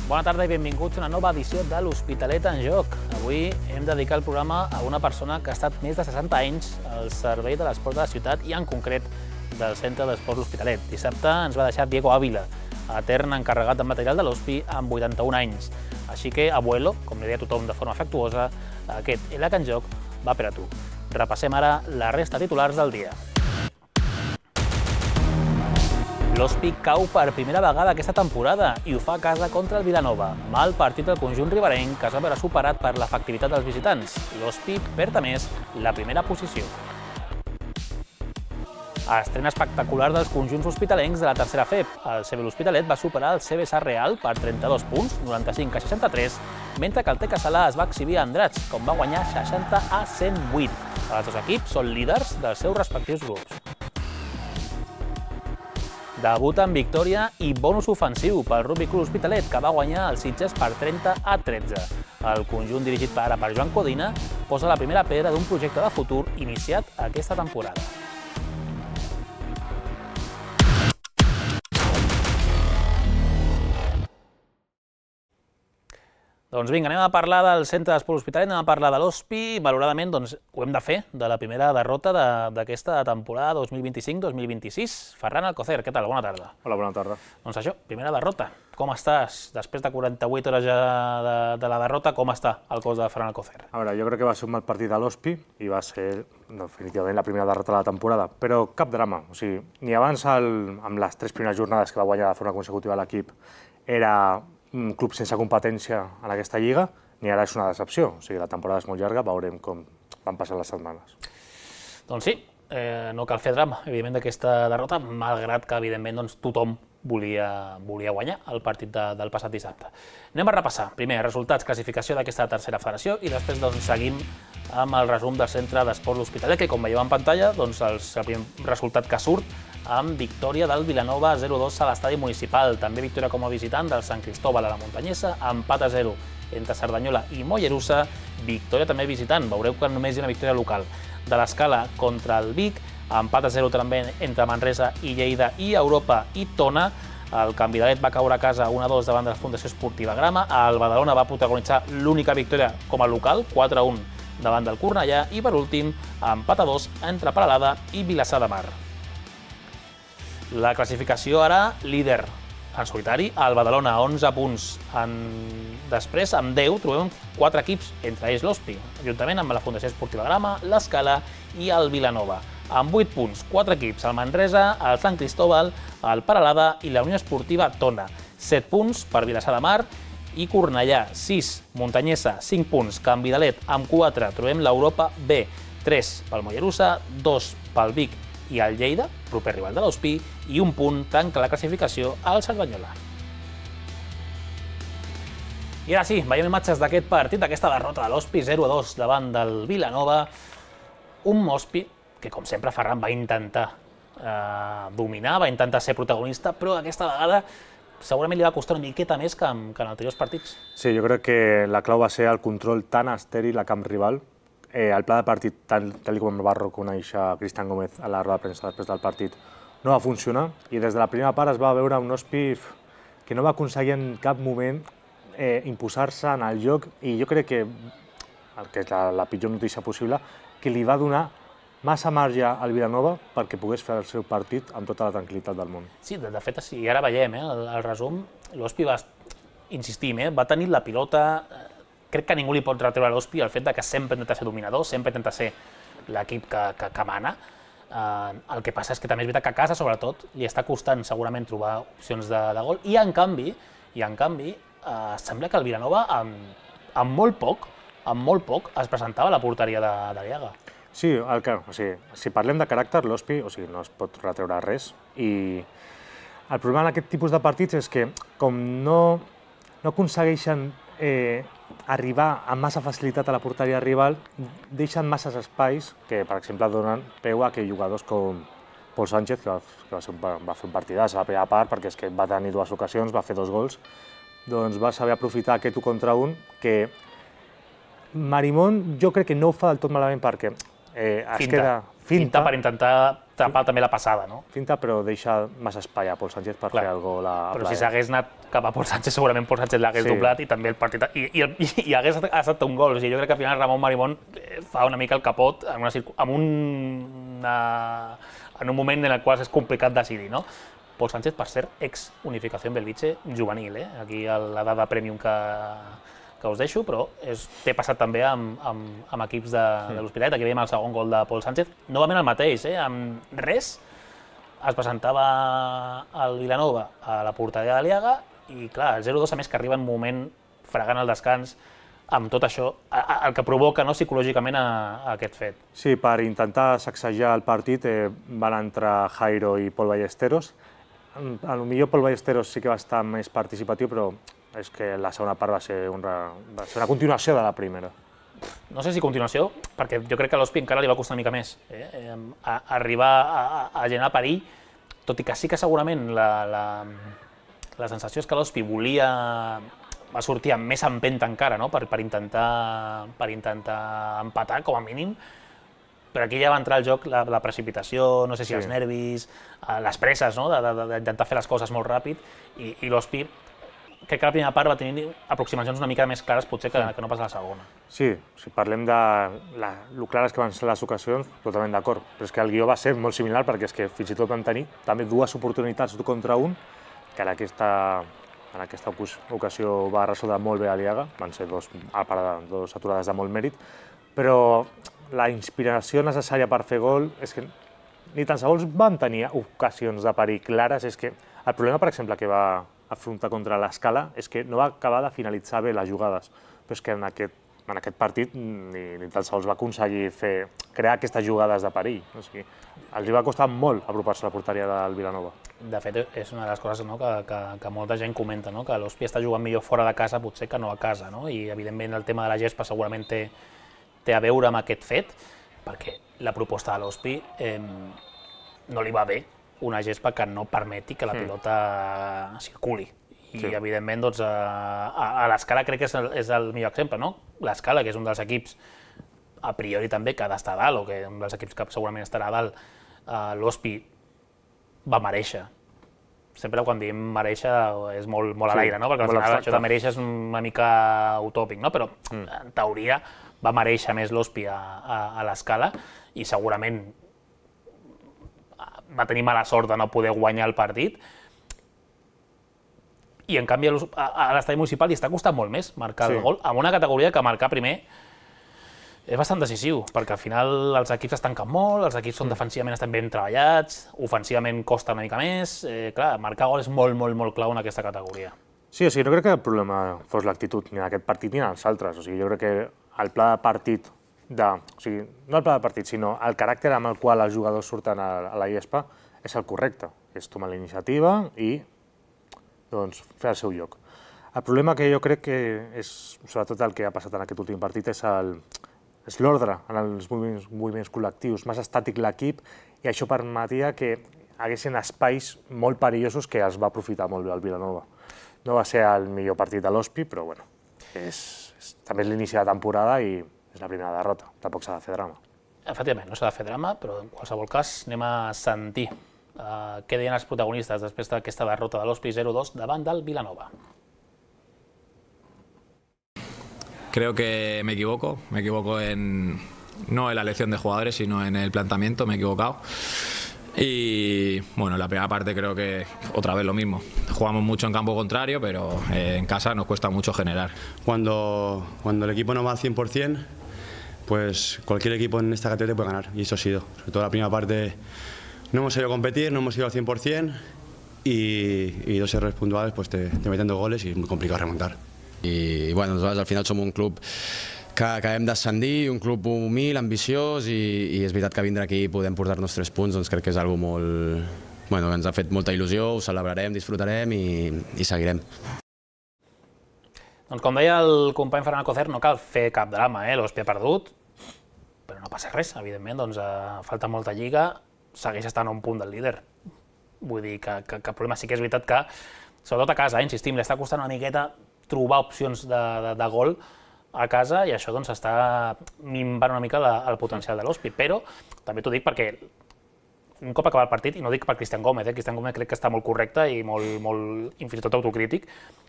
Bona tarda i benvinguts a una nova edició de l'Hospitalet en Joc. Avui hem dedicat el programa a una persona que ha estat més de 60 anys al servei de l'esport de la ciutat i en concret del Centre d'Esports L'Hospitalet. Dissabte ens va deixar Diego Ávila, etern encarregat de material de l'Hospi amb 81 anys. Així que, abuelo, com li deia tothom de forma afectuosa, aquest ELAC en Joc va per a tu. Repassem ara la resta de titulars del dia. L'Hospi cau per primera vegada aquesta temporada i ho fa a casa contra el Vilanova. Mal partit del conjunt riberenc que es va veure superat per l'efectivitat dels visitants. L'Hospi perd a més la primera posició. Estrena espectacular dels conjunts hospitalencs de la tercera FEP. El CB L'Hospitalet va superar el CB Sarrià per 32 punts, 95 a 63, mentre que el TEC Salà es va exhibir a Andratx, com va guanyar 60 a 108. Els dos equips són líders dels seus respectius grups. Debut en victòria i bonus ofensiu pel Rugby Club Hospitalet, que va guanyar el Sitges per 30 a 13. El conjunt dirigit per Joan Codina posa la primera pedra d'un projecte de futur iniciat aquesta temporada. Doncs vinga, anem a parlar del Centre d'Esports L'Hospitalet, anem a parlar de l'Hospi. Valoradament, doncs, ho hem de fer, de la primera derrota d'aquesta temporada 2025-2026. Ferran Alcocer, què tal? Bona tarda. Hola, bona tarda. Doncs això, primera derrota. Com estàs? Després de 48 hores ja de la derrota, com està el cos de Ferran Alcocer? A veure, jo crec que va ser un mal partit a l'Hospi i va ser definitivament la primera derrota de la temporada, però cap drama. O sigui, ni abans amb les 3 primeres jornades que va guanyar de forma consecutiva l'equip era un club sense competència en aquesta lliga, ni ara és una decepció. O sigui, la temporada és molt llarga, veurem com van passar les setmanes. Doncs sí, no cal fer drama, evidentment, d'aquesta derrota, malgrat que, evidentment, doncs, tothom volia guanyar el partit del passat dissabte. Anem a repassar, primer, resultats, classificació d'aquesta tercera federació i després doncs, seguim amb el resum del Centre d'Esports L'Hospitalet, que, com veieu en pantalla, doncs, el primer resultat que surt amb victòria del Vilanova 0-2 a l'estadi municipal. També victòria com a visitant del Sant Cristóbal a la Muntanyesa, empat a 0 entre Cerdanyola i Mollerussa, victòria també visitant, veureu que només hi ha una victòria local. De l'Escala contra el Vic, empat a 0 també entre Manresa i Lleida i Europa i Tona. El Canvidalet va caure a casa 1-2 davant de la Fundació Esportiva Grama. El Badalona va protagonitzar l'única victòria com a local, 4-1 davant del Cornellà. I per últim, empat a 2 entre Peralada i Vilassar de Mar. La classificació ara, líder en solitari, el Badalona, 11 punts. Després, amb 10, trobem 4 equips, entre ells l'Hospi, juntament amb la Fundació Esportiva Grama, l'Escala i el Vilanova. Amb 8 punts, 4 equips, el Manresa, el Sant Cristóbal, el Peralada i la Unió Esportiva Tona. 7 punts per Vilassar de Mar i Cornellà, 6, Muntanyesa, 5 punts, Canvidalet, amb 4, trobem l'Europa B, 3 pel Mollerussa, 2 pel Vic i el Lleida, proper rival de l'Hospi, i un punt tanca la classificació al Cerdanyola. I ara sí, veiem imatges d'aquest partit, d'aquesta derrota de l'Hospi, 0-2 davant del Vilanova. Un Hospi que, com sempre, Ferran va intentar dominar, va intentar ser protagonista, però aquesta vegada segurament li va costar una miqueta més que en anteriors partits. Sí, jo crec que la clau va ser el control tan estèril a camp rival. El pla de partit, tal com va reconèixer Cristian Gómez a la roda de premsa després del partit, no va funcionar i des de la primera part es va veure un Hospi que no va aconseguir en cap moment imposar-se en el joc i jo crec que és la pitjor notícia possible, que li va donar massa marge al Vilanova perquè pogués fer el seu partit amb tota la tranquil·litat del món. Sí, de fet, sí, ara veiem el resum, l'Hospi va insistir, va tenir la pilota. Crec que ningú li pot retreure a l'Hospi el fet que sempre intenta ser dominador, sempre intenta ser l'equip que mana. El que passa és que també és veritat que a casa, sobretot, li està costant segurament trobar opcions de gol i, en canvi, sembla que el Vilanova, amb molt poc, es presentava a la porteria d'Ariaga. Sí, si parlem de caràcter, l'Hospi no es pot retreure res i el problema en aquest tipus de partits és que com no aconsegueixen arribar amb massa facilitat a la porteria rival, deixen masses espais que, per exemple, donen peu a que jugadors com Pol Sánchez, que va fer un partidàs a la primera part, perquè és que va tenir 2 ocasions, va fer 2 gols, doncs va saber aprofitar aquest 1 contra 1, que Marimón jo crec que no ho fa del tot malament perquè es queda... Finta per intentar tapar també la passada, no? Finta, però deixa massa espai a Pol Sánchez per fer el gol a Però si s'hagués anat cap a Pol Sánchez, segurament Pol Sánchez l'hagués doblat i també el partit... I hagués estat un gol. O sigui, jo crec que al final Ramon Marimón fa una mica el capot en un moment en el qual és complicat decidir, no? Pol Sánchez, per cert, ex-Unificació Belvitge juvenil, aquí la dada premium que us deixo, però té passat també amb equips de l'Hospitalet. Aquí veiem el segon gol de Pol Sánchez. Novament el mateix, amb res es presentava el Vilanova a la porteria de Liaga i, clar, el 0-2, a més que arriba en un moment fregant el descans, amb tot això, el que provoca psicològicament aquest fet. Sí, per intentar sacsejar el partit van entrar Jairo i Pol Ballesteros. Potser Pol Ballesteros sí que va estar més participatiu, però és que la segona part va ser una continuació de la primera. No sé si continuació, perquè jo crec que a l'Hospi encara li va costar una mica més arribar a generar perill, tot i que sí que segurament la sensació és que l'Hospi va sortir amb més empenta encara, no? per intentar empatar, com a mínim, però aquí ja va entrar al joc la precipitació, no sé si els nervis, les presses, no? D'intentar fer les coses molt ràpid, i l'Hospi, crec que la primera part va tenir aproximacions una mica més clares potser que no pas la segona. Sí, si parlem de lo clares que van ser les ocasions, totalment d'acord, però és que el guió va ser molt similar perquè és que fins i tot van tenir també dues oportunitats contra un, que en aquesta ocasió va resoldre molt bé a Liaga, van ser dues aturades de molt mèrit, però la inspiració necessària per fer gol és que ni tan sols van tenir ocasions de perill clares, és que el problema, per exemple, que va afrontar contra l'Escala és que no va acabar de finalitzar bé les jugades, però és que en aquest partit ni tan sols va aconseguir crear aquestes jugades de perill. O sigui, els va costar molt apropar-se a la porteria del Vilanova. De fet, és una de les coses que molta gent comenta, que l'Hospi està jugant millor fora de casa potser que no a casa, i evidentment el tema de la gespa segurament té a veure amb aquest fet, perquè la proposta de l'Hospi no li va bé una gespa que no permeti que la pilota circuli. I, evidentment, a l'Escala crec que és el millor exemple, no? L'Escala, que és un dels equips, a priori també, que ha d'estar a dalt, o que un dels equips que segurament estarà a dalt, l'Hospi va merèixer. Sempre quan diem merèixer és molt a l'aire, no? Perquè al final això de merèixer és una mica utòpic, no? Però, en teoria, va merèixer més l'Hospi a l'Escala i segurament va tenir mala sort de no poder guanyar el partit, i en canvi a l'estadi municipal li està costant molt més marcar el gol, amb una categoria que marcar primer és bastant decisiu, perquè al final els equips es tanquen molt, els equips defensivament estan ben treballats, ofensivament costa una mica més, clar, marcar gol és molt clau en aquesta categoria. Sí, o sigui, no crec que el problema fos l'actitud ni en aquest partit ni en els altres, o sigui, jo crec que el pla de partit o sigui, no el pla de partit, sinó el caràcter amb el qual els jugadors surten a la gespa és el correcte, és tomar la iniciativa i fer el seu lloc. El problema que jo crec que és, sobretot el que ha passat en aquest últim partit, és l'ordre en els moviments col·lectius, més estàtic l'equip, i això permetia que haguessin espais molt perillosos que els va aprofitar molt bé el Vilanova. No va ser el millor partit de l'Hospi, però bueno, també és l'inici de temporada i és la primera derrota, tampoc s'ha de fer drama. Efectivament, no s'ha de fer drama, però en qualsevol cas anem a sentir què deien els protagonistes després d'aquesta derrota de l'Hospi 0-2 davant del Vilanova. Creo que me equivoco no en la elección de jugadores, sino en el planteamiento, me he equivocado. Y bueno, en la primera parte creo que otra vez lo mismo. Jugamos mucho en campo contrario, pero en casa nos cuesta mucho generar. Cuando el equipo no va al 100%, pues cualquier equipo en esta categoría puede ganar, y eso ha sido. Sobre todo la primera parte no hemos ido a competir, no hemos ido al 100%, y dos errores puntuales pues te meten dos goles y es muy complicado remontar. I bueno, nosaltres al final som un club que hem d'ascendir, un club humil, ambiciós, i és veritat que vindre aquí i podem portar-nos 3 punts, doncs crec que és algo molt... Bueno, ens ha fet molta il·lusió, ho celebrarem, disfrutarem i seguirem. Doncs com deia el company Ferran Alcocer, no cal fer cap drama, l'Hospi ha perdut, però no passa res, evidentment, doncs falta molta lliga, segueix estant a un punt del líder. Vull dir que el problema sí que és veritat que, sobretot a casa, insistim, li està costant una miqueta trobar opcions de gol a casa, i això doncs està minvant una mica el potencial de l'Hospi, però també t'ho dic perquè un cop acabat el partit, i no dic per Cristian Gómez, Cristian Gómez crec que està molt correcte i molt fins i tot autocrític,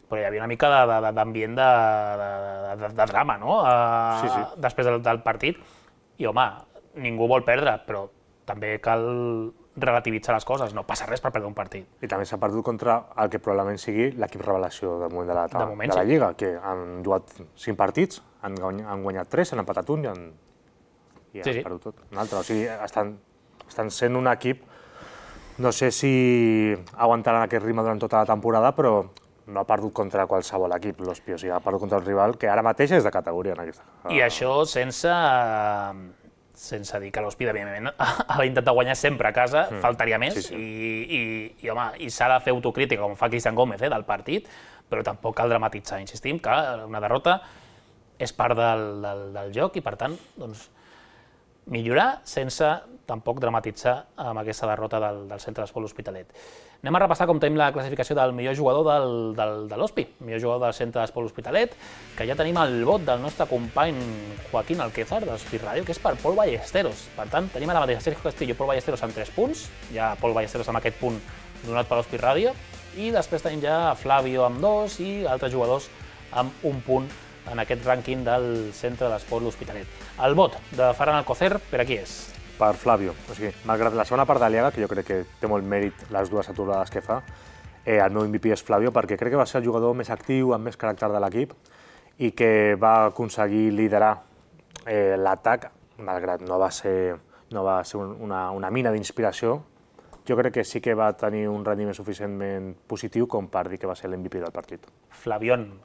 però hi havia una mica d'ambient de drama, no? Després del partit. I, home, ningú vol perdre, però també cal relativitzar les coses, no passa res per perdre un partit. I també s'ha perdut contra el que probablement sigui l'equip revelació del moment de la sí. Lliga, que han jugat 5 partits, han guanyat 3, han empatat un i han perdut tot. Un altre. O sigui, estan sent un equip, no sé si aguantaran aquest ritme durant tota la temporada, però no ha perdut contra qualsevol equip, l'Ospi, o sigui, ha perdut contra un rival que ara mateix és de categoria en aquesta. I això sense dir que l'Ospi, evidentment, ha d'intentar guanyar sempre a casa, faltaria més, i home, i s'ha de fer autocrítica, com fa Cristian Gómez, del partit, però tampoc cal dramatitzar. Insistim que una derrota és part del joc i, per tant, doncs, millorar sense tampoc dramatitzar amb aquesta derrota del Centre d'Esport L'Hospitalet. Anem a repassar com tenim la classificació del millor jugador de l'Ospi, millor jugador del Centre d'Esport L'Hospitalet, que ja tenim el vot del nostre company Joaquín Alquézar, d'Ospi Ràdio, que és per Pol Ballesteros. Per tant, tenim ara mateix Sergio Castillo i Pol Ballesteros amb 3 punts, ja Pol Ballesteros amb aquest punt donat per Ospi Ràdio, i després tenim ja Flavio amb 2 i altres jugadors amb 1 punt en aquest rànquing del Centre d'Esport L'Hospitalet. El vot de Ferran Alcocer, per a qui és? Per Flavio. O sigui, malgrat la segona part de Liga, que jo crec que té molt mèrit les dues aturades que fa, el meu MVP és Flavio, perquè crec que va ser el jugador més actiu, amb més caràcter de l'equip, i que va aconseguir liderar l'atac, malgrat no va ser una mina d'inspiració. Jo crec que sí que va tenir un rendiment suficientment positiu com per dir que va ser l'MVP del partit. Flavión.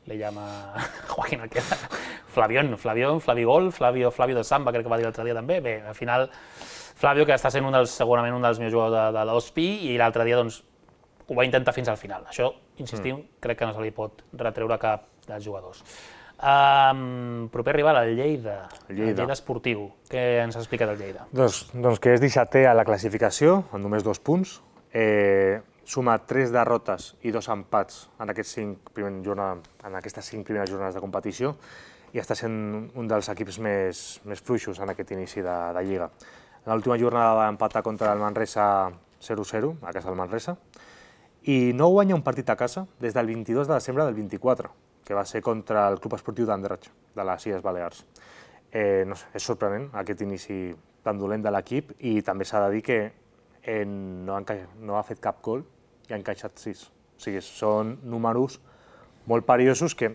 Le llama Joaquín Alquézar. Flavión, Flavigol, Flavio de Samba, crec que va dir l'altre dia també. Bé, al final, Flavio, que està sent segurament un dels millors jugadors de l'Ospi, i l'altre dia doncs, ho va intentar fins al final. Això, insistim, crec que no se li pot retreure cap dels jugadors. Proper rival, el Lleida. El Lleida esportiu. Què ens explica del Lleida? Doncs que és 17è a la classificació, amb només 2 punts. Suma 3 derrotes i 2 empats en aquestes 5 primeres jornades de competició i està sent un dels equips més fluixos en aquest inici de Lliga. En l'última jornada va empatar contra el Manresa 0-0, a casa del Manresa, i no guanya un partit a casa des del 22 de desembre del 24, que va ser contra el Club Esportiu d'Andratx, de les Illes Balears. No sé, és sorprenent aquest inici tan dolent de l'equip, i també s'ha de dir que no ha fet cap gol i ha encaixat 6. O sigui, són números molt perillosos que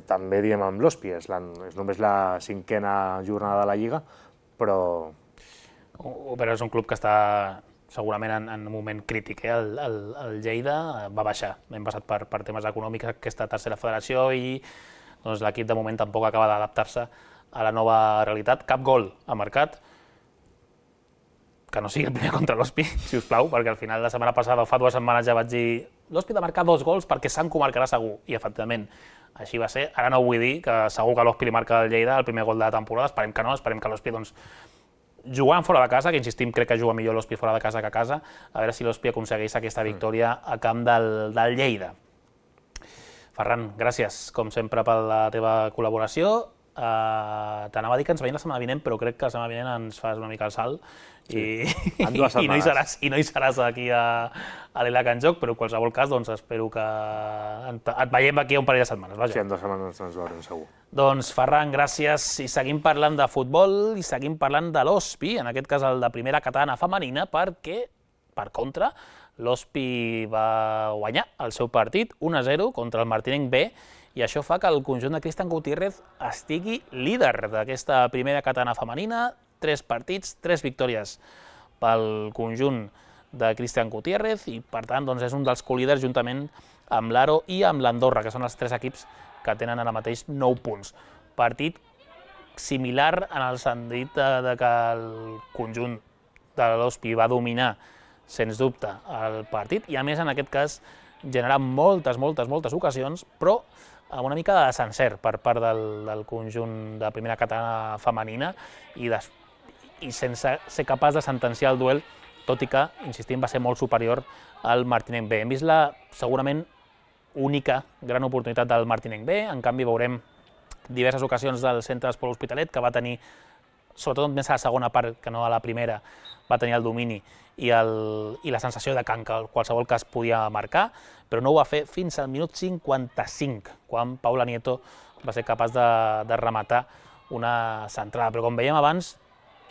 també diem amb l'Ospi, és només la 5a jornada de la Lliga, però és un club que està segurament en un moment crític. El Lleida va baixar, hem passat per temes econòmics aquesta tercera federació i l'equip de moment tampoc acaba d'adaptar-se a la nova realitat. Cap gol ha marcat, que no sigui el primer contra l'Ospi, si us plau, perquè al final la setmana passada o fa 2 setmanes ja vaig dir l'Ospi ha de marcar 2 gols perquè se'n comarcarà segur, i efectivament així va ser. Ara no vull dir que segur que l'Ospi li marca al Lleida el primer gol de la temporada, esperem que no, esperem que l'Ospi jugant fora de casa, que insistim, crec que juga millor l'Ospi fora de casa que a casa, a veure si l'Ospi aconsegueix aquesta victòria a camp del Lleida. Ferran, gràcies, com sempre, per la teva col·laboració. T'anava a dir que ens veiem la setmana vinent, però crec que la setmana vinent ens fas una mica el salt i no hi seràs aquí a l'ELAC en joc, però en qualsevol cas espero que et veiem aquí un parell de setmanes. Sí, en 2 setmanes ens veurem segur. Doncs Ferran, gràcies, i seguim parlant de futbol i seguim parlant de l'Ospi, en aquest cas el de primera catalana femenina, perquè, per contra, l'Ospi va guanyar el seu partit 1-0 contra el Martinenc B, i això fa que el conjunt de Cristian Gutiérrez estigui líder d'aquesta primera catalana femenina. 3 partits, 3 victòries pel conjunt de Cristian Gutiérrez, i per tant és un dels colíders juntament amb l'Aro i amb l'Andorra, que són els 3 equips que tenen ara mateix 9 punts. Partit similar en el sentit que el conjunt de l'Ospi va dominar, sens dubte, el partit, i a més en aquest cas generar moltes ocasions, però amb una mica de desencert per part del conjunt de primera catalana femenina i sense ser capaç de sentenciar el duel, tot i que, insistim, va ser molt superior al Martinenc B. Hem vist la segurament única gran oportunitat del Martinenc B, en canvi veurem diverses ocasions del Centre d'Esport L'Hospitalet, que va tenir sobretot més a la segona part que no a la primera, va tenir el domini i la sensació de que en qualsevol cas podia marcar, però no ho va fer fins al minut 55, quan Paula Nieto va ser capaç de rematar una centrada. Però com veiem abans,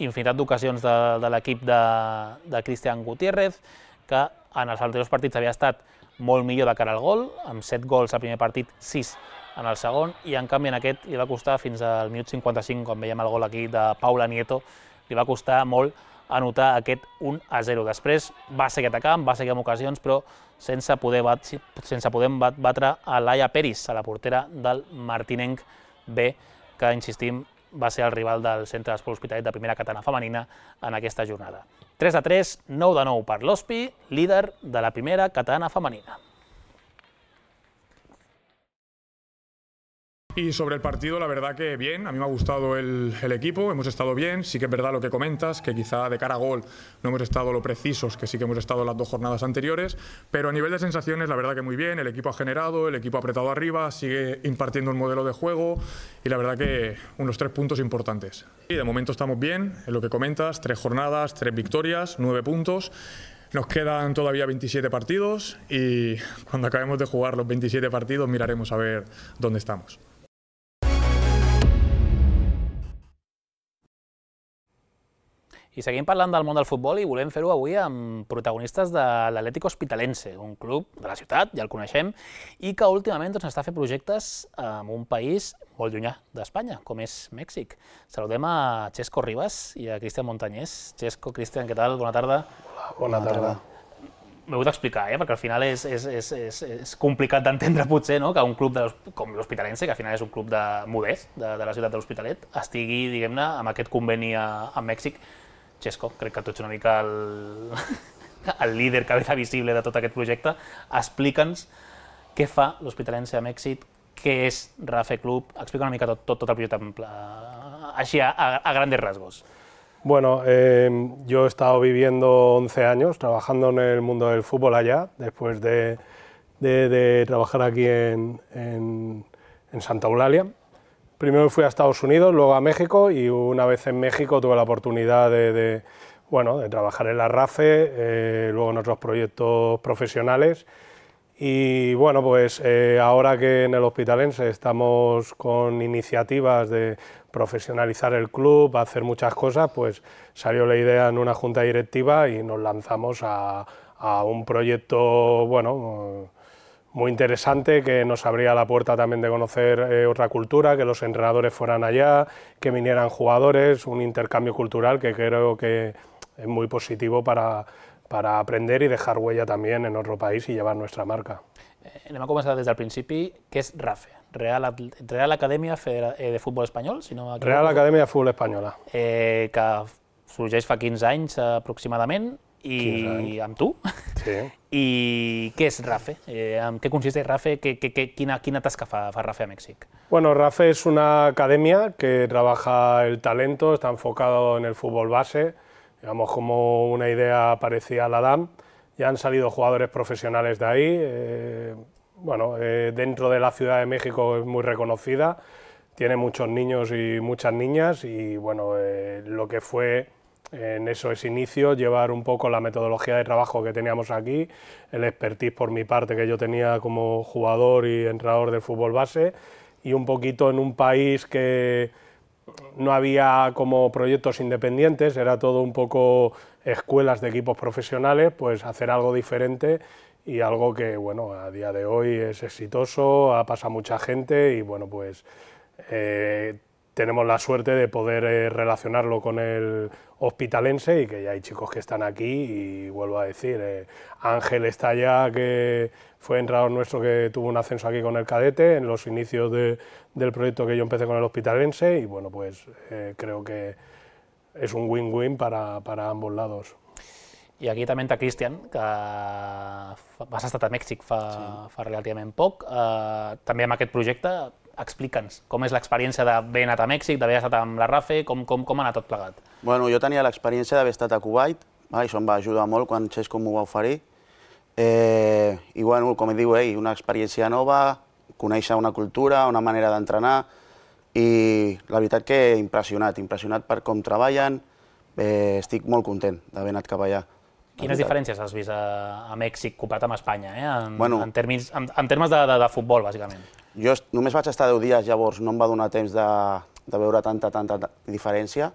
infinitat d'ocasions de l'equip de Cristian Gutiérrez, que en els anteriors partits havia estat molt millor de cara al gol, amb 7 gols al primer partit, 6 en el segon, i en canvi en aquest li va costar fins al minut 55, quan veiem el gol aquí de Paula Nieto, li va costar molt anotar aquest 1-0. Després va seguir atacant, va seguir amb ocasions, però sense poder batre a Laia Peris, a la portera del Martinenc B, que, insistim, va ser el rival del Centre d'Esport Hospitalet de primera catalana femenina en aquesta jornada. 3-3, 9-9 per l'Hospi, líder de la primera catalana femenina. Y sobre el partido, la verdad que bien, a mí me ha gustado el equipo, hemos estado bien, sí que es verdad lo que comentas, que quizá de cara a gol no hemos estado lo precisos que sí que hemos estado las 2 jornadas anteriores, pero a nivel de sensaciones la verdad que muy bien, el equipo ha generado, el equipo ha apretado arriba, sigue impartiendo un modelo de juego y la verdad que unos 3 puntos importantes. Y de momento estamos bien, en lo que comentas, 3 jornadas, 3 victorias, 9 puntos. Nos quedan todavía 27 partidos y cuando acabemos de jugar los 27 partidos miraremos a ver dónde estamos. I seguim parlant del món del futbol i volem fer-ho avui amb protagonistes de l'Atlético Hospitalense, un club de la ciutat, ja el coneixem, i que últimament està fent projectes en un país molt llunyà d'Espanya, com és Mèxic. Saludem a Chesco Ribas i a Cristian Montañés. Chesco, Cristian, què tal? Bona tarda. Bona tarda. M'he hagut d'explicar, perquè al final és complicat d'entendre potser que un club com l'Hospitalense, que al final és un club modest de la ciutat de l'Hospitalet, estigui, diguem-ne, amb aquest conveni amb Mèxic. Chesco, crec que tu ets una mica el líder, cabeza visible de tot aquest projecte. Explica'ns què fa l'Hospitalense a Mèxic, què és Rafe Club, explica una mica tot el projecte així a grandes rasgos. Bueno, yo he estado viviendo 11 años trabajando en el mundo del fútbol allá, después de trabajar aquí en Santa Eulalia. Primero fui a Estados Unidos, luego a México, y una vez en México tuve la oportunidad de trabajar en la RAFE, luego en otros proyectos profesionales. Y bueno, pues ahora que en el Hospitalense estamos con iniciativas de profesionalizar el club, hacer muchas cosas, pues salió la idea en una junta directiva y nos lanzamos a un proyecto, muy interesante, que nos abría la puerta también de conocer otra cultura, que los entrenadores fueran allá, que vinieran jugadores, un intercambio cultural que creo que es muy positivo para aprender y dejar huella también en otro país y llevar nuestra marca. Anem a començar des del principi. Què és RAFE? Real Acadèmia de Futbol Espanyol? Real Acadèmia de Futbol Espanyola. Que sorgeix fa 15 anys aproximadament, i amb tu. Sí. I què és RAFE? En què consisteix RAFE? Quina tasca fa RAFE a Mèxic? Bueno, RAFE es una academia que trabaja el talento, está enfocado en el fútbol base, digamos como una idea parecida a la DAM. Ya han salido jugadores profesionales de ahí. Dentro de la Ciudad de México es muy reconocida, tiene muchos niños y muchas niñas, y lo que fue en esos inicios llevar un poco la metodología de trabajo que teníamos aquí, el expertise por mi parte que yo tenía como jugador y entrenador del fútbol base, y un poquito en un país que no había como proyectos independientes, era todo un poco escuelas de equipos profesionales, pues hacer algo diferente y algo que a día de hoy es exitoso, ha pasado mucha gente y tenemos la suerte de poder relacionarlo con el Hospitalense, y que ya hay chicos que están aquí, y vuelvo a decir, Ángel está allá, que fue entrenador nuestro, que tuvo un ascenso aquí con el cadete en los inicios del proyecto que yo empecé con el Hospitalense, y creo que es un win-win para ambos lados. I aquí també entra Cristian, que has estat a Mèxic fa relativament poc, també amb aquest projecte. Explica'ns com és l'experiència d'haver anat a Mèxic, d'haver estat amb la RAFE, com ha anat tot plegat? Bueno, jo tenia l'experiència d'haver estat a Kuwait, això em va ajudar molt quan Chesco m'ho va oferir. I com diu ell, una experiència nova, conèixer una cultura, una manera d'entrenar, I la veritat que impressionat per com treballen, estic molt content d'haver anat cap allà. Quines diferències has vist a Mèxic comparat amb Espanya, en termes de futbol, bàsicament? Jo només vaig estar 10 dies, llavors no em va donar temps de veure tanta diferència,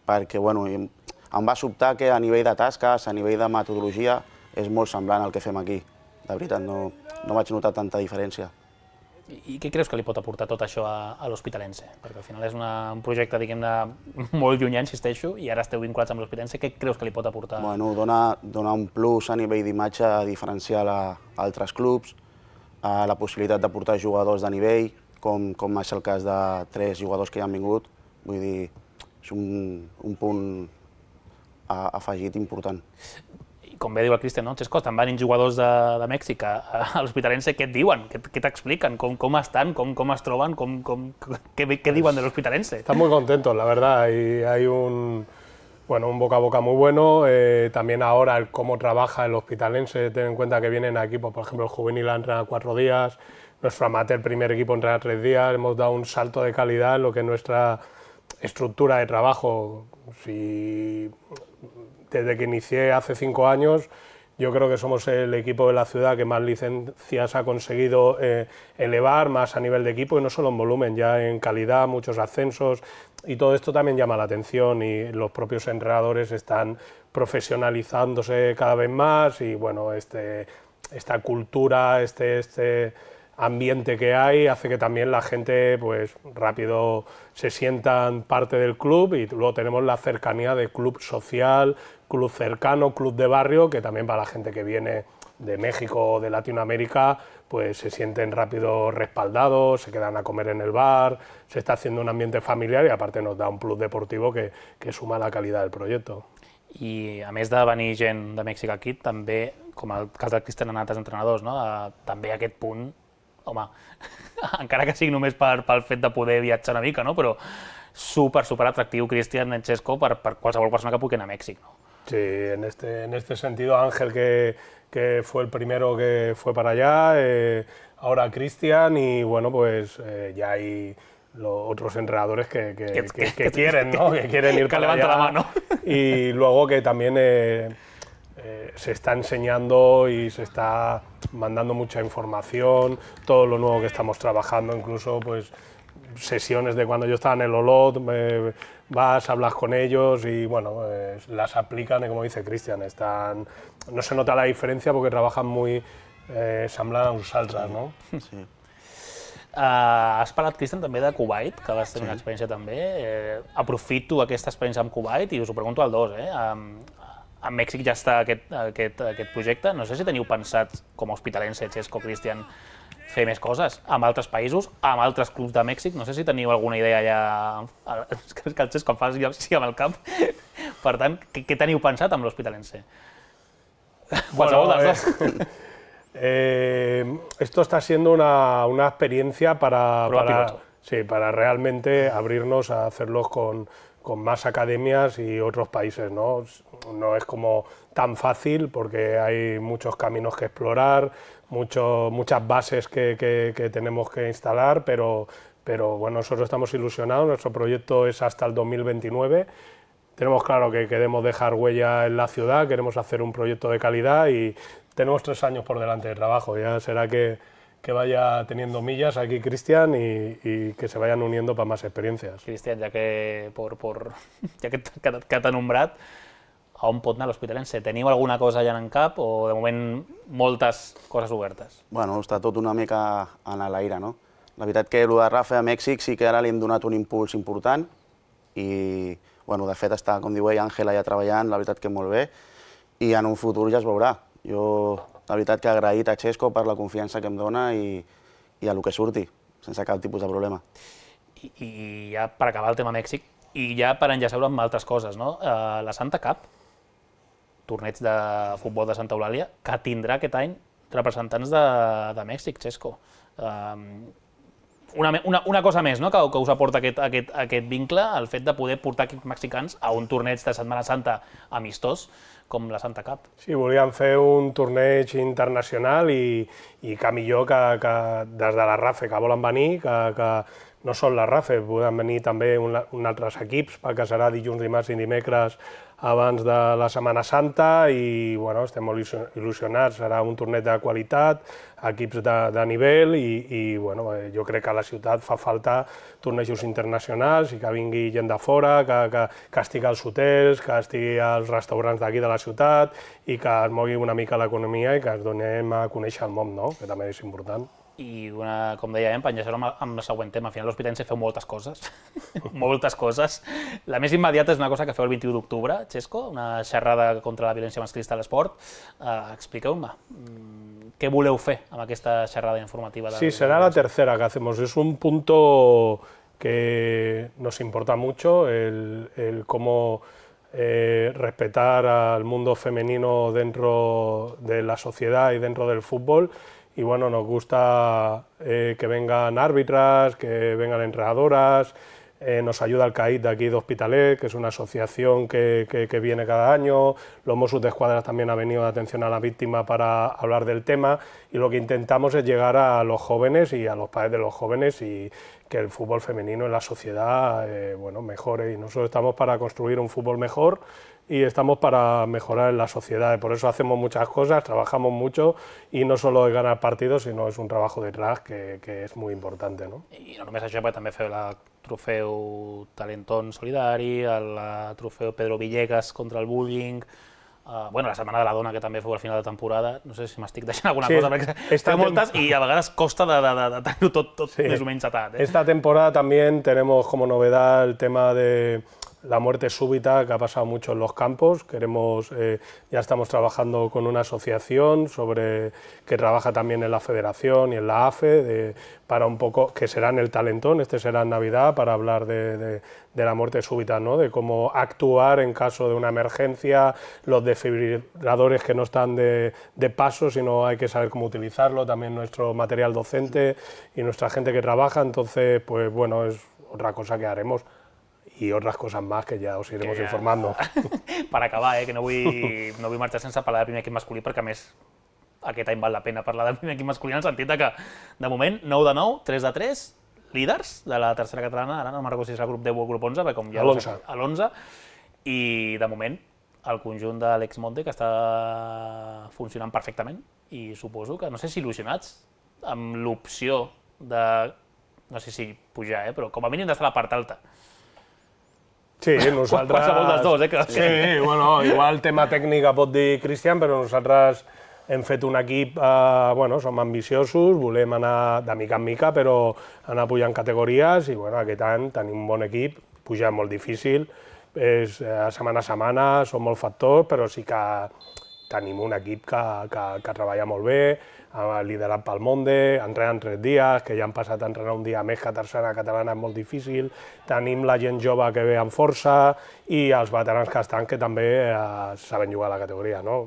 perquè em va sobtar que a nivell de tasques, a nivell de metodologia, és molt semblant al que fem aquí. De veritat, no vaig notar tanta diferència. I què creus que li pot aportar tot això a l'Hospitalense? Perquè al final és un projecte, diguem-ne, molt llunyà, insisteixo, i ara esteu vinculats amb l'Hospitalense. Què creus que li pot aportar? Dona un plus a nivell d'imatge diferencial a altres clubs, la possibilitat de portar jugadors de nivell, com és el cas de 3 jugadors que ja han vingut. Vull dir, és un punt afegit important. Com bé diu el Cristian, no? Xesco, estan venint jugadors de Mèxic a l'Hospitalense, què et diuen? Què t'expliquen? Com estan? Com es troben? ¿Qué diuen de l'Hospitalense? Están muy contentos, la verdad, y hay un boca a boca muy bueno. También ahora el cómo trabaja el Hospitalense, ten en cuenta que vienen aquí, por ejemplo, el juvenil ha entrenado 4 días, nuestro amateur primer equipo entrena 3 días, hemos dado un salto de calidad en lo que es nuestra estructura de trabajo. Desde que inicié hace 5 años, yo creo que somos el equipo de la ciudad que más licencias ha conseguido elevar, más a nivel de equipo, y no solo en volumen, ya en calidad, muchos ascensos, y todo esto también llama la atención, y los propios entrenadores están profesionalizándose cada vez más, y esta cultura, este ambiente que hay hace que también la gente pues rápido se sientan parte del club, y luego tenemos la cercanía de club social, club cercano, club de barrio, que también para la gente que viene de México o de Latinoamérica pues se sienten rápido respaldados, se quedan a comer en el bar, se está haciendo un ambiente familiar, y aparte nos da un plus deportivo que suma la calidad del proyecto. I a més de venir gent de Mèxic aquí, també, com el cas del Cristian, han altres entrenadors, no? També aquest punt, home, encara que sigui només pel fet de poder viatjar una mica, no? Però súper atractiu, Cristian, Xesco, per qualsevol persona que pugui anar a Mèxic, no? Sí, en este sentido Ángel, que fue el primero que fue para allá, ahora Cristian, y ya hay otros entrenadores que quieren, ¿no? Que quieren ir para allá. La mano. Y luego que también se está enseñando y se está mandando mucha información, todo lo nuevo que estamos trabajando, incluso pues sesiones de cuando yo estaba en el Olot, vas, hablas con ellos y las aplican, y como dice Cristian, no se nota la diferencia porque trabajan muy semblant a nosaltres, no? Sí. Has parlat, Cristian, també de Kuwait, que vas tenir una experiència també. Aprofito aquesta experiència amb Kuwait i us ho pregunto al dos. A Mèxic ja està aquest projecte. No sé si teniu pensat, com a Hospitalense, Xesco, Cristian, fer més coses amb altres països, amb altres clubs de Mèxic. No sé si teniu alguna idea ja... És que el Xesco em fa sí amb el cap. Per tant, què teniu pensat amb l'Hospitalense? Qualsevol dels dos. Esto está siendo una experiencia para realmente abrirnos a hacerlos con más academias y otros países, ¿no? No es como tan fácil porque hay muchos caminos que explorar, muchas bases que tenemos que instalar, pero nosotros estamos ilusionados, nuestro proyecto es hasta el 2029. Tenemos claro que queremos dejar huella en la ciudad, queremos hacer un proyecto de calidad y tenemos 3 años por delante de trabajo. Ya será que vaya teniendo millas aquí Cristian y que se vayan uniendo para más experiencias. Cristian, ja que t'ha nombrat, a on pot anar l'Hospitalense? Teniu alguna cosa ja en cap o de moment moltes coses obertes? Està tot una mica en l'aire, no? La veritat que el de Rafa a Mèxic sí que ara li hem donat un impuls important i, de fet, està, com diu ell, Àngel allà treballant, la veritat que molt bé, i en un futur ja es veurà. Jo, la veritat que agraït a Xesco per la confiança que em dona i a lo que surti, sense cap tipus de problema. I ja per acabar el tema Mèxic, i ja per enllaçar-ho amb altres coses, no? La Santa Cup, torneig de futbol de Santa Eulàlia, que tindrà aquest any representants de Mèxic, Xesco. Una cosa més, no?, que us aporta aquest vincle, el fet de poder portar equips mexicans a un torneig de Setmana Santa amistós com la Santa Cup. Sí, volíem fer un torneig internacional i que millor que des de la RAFE, que volen venir, que no són la RAFE, poden venir també altres equips, perquè serà dilluns, dimarts i dimecres abans de la Setmana Santa i bueno, estem molt il·lusionats, serà un torneig de qualitat, equips de nivell i bueno, jo crec que a la ciutat fa falta tornejos internacionals i que vingui gent de fora, que estigui als hotels, que estigui als restaurants d'aquí de la ciutat i que es mogui una mica l'economia i que ens donem a conèixer el món, no? Que també és important. I com dèiem, enllaçarem amb el següent tema. Al final l'Hospitalense feu moltes coses, moltes coses. La més immediata és una cosa que feu el 21 d'octubre, Xesco, una xerrada contra la violència masclista a l'esport. Expliqueu-me, què voleu fer amb aquesta xerrada informativa? Sí, será la tercera que hacemos. Es un punto que nos importa mucho, el cómo respetar al mundo femenino dentro de la sociedad y dentro del fútbol. Y bueno, nos gusta que vengan árbitras, que vengan entrenadoras, nos ayuda el CAIT de aquí de Hospitalet, que es una asociación que viene cada año, los Mossos d'Esquadra también ha venido de atención a la víctima para hablar del tema y lo que intentamos es llegar a los jóvenes y a los padres de los jóvenes y que el fútbol femenino en la sociedad bueno, mejore y nosotros estamos para construir un fútbol mejor y estamos para mejorar en la sociedad, por eso hacemos muchas cosas, trabajamos mucho y no solo es ganar partidos, sino es un trabajo detrás que es muy importante, ¿no? I no només això, perquè també feu el trofeu Talentón Solidari, el trofeu Pedro Villegas contra el bullying, bueno, la Setmana de la Dona, que també feu al final de temporada, no sé si m'estic deixant alguna cosa, perquè feu moltes i a vegades costa de tenir-ho tot més o menys atat. Esta temporada también tenemos como novedad el tema de la muerte súbita que ha pasado mucho en los campos. Ya estamos trabajando con una asociación que trabaja también en la Federación y en la AFE, para un poco, que será en el Talentón, este será en Navidad, para hablar de la muerte súbita, ¿no? De cómo actuar en caso de una emergencia, los desfibriladores que no están de paso, sino hay que saber cómo utilizarlo, también nuestro material docente y nuestra gente que trabaja, entonces, pues bueno, es otra cosa que haremos. I otras cosas más que ja us iremos informando. Per acabar, que no vull marxar sense parlar del primer equip masculí, perquè a més aquest any val la pena parlar del primer equip masculí en el sentit que, de moment, 9 de 9, 3 de 3, líders de la tercera catalana, ara no me'n recordo si és el grup 10 o el grup 11, perquè com ja a l'11, i de moment el conjunt de l'Exmonte que està funcionant perfectament i suposo que, no sé si il·lusionats amb l'opció de, no sé si pujar, però com a mínim d'estar a la part alta. Sí, nosaltres... Qualsevol dels dos, que... Sí, bueno, igual tema tècnic pot dir Cristian, però nosaltres hem fet un equip, bueno, som ambiciosos, volem anar de mica en mica, però anar pujant categories i bueno, aquest any tenim un bon equip, pujar molt difícil, és setmana a setmana, són molts factors, però sí que tenim un equip que treballa molt bé, liderat pel Monde, entrenen 3 dies, que ja han passat a entrenar un dia més que a tercera catalana és molt difícil, tenim la gent jove que ve amb força i els veterans que estan que també saben jugar a la categoria, no?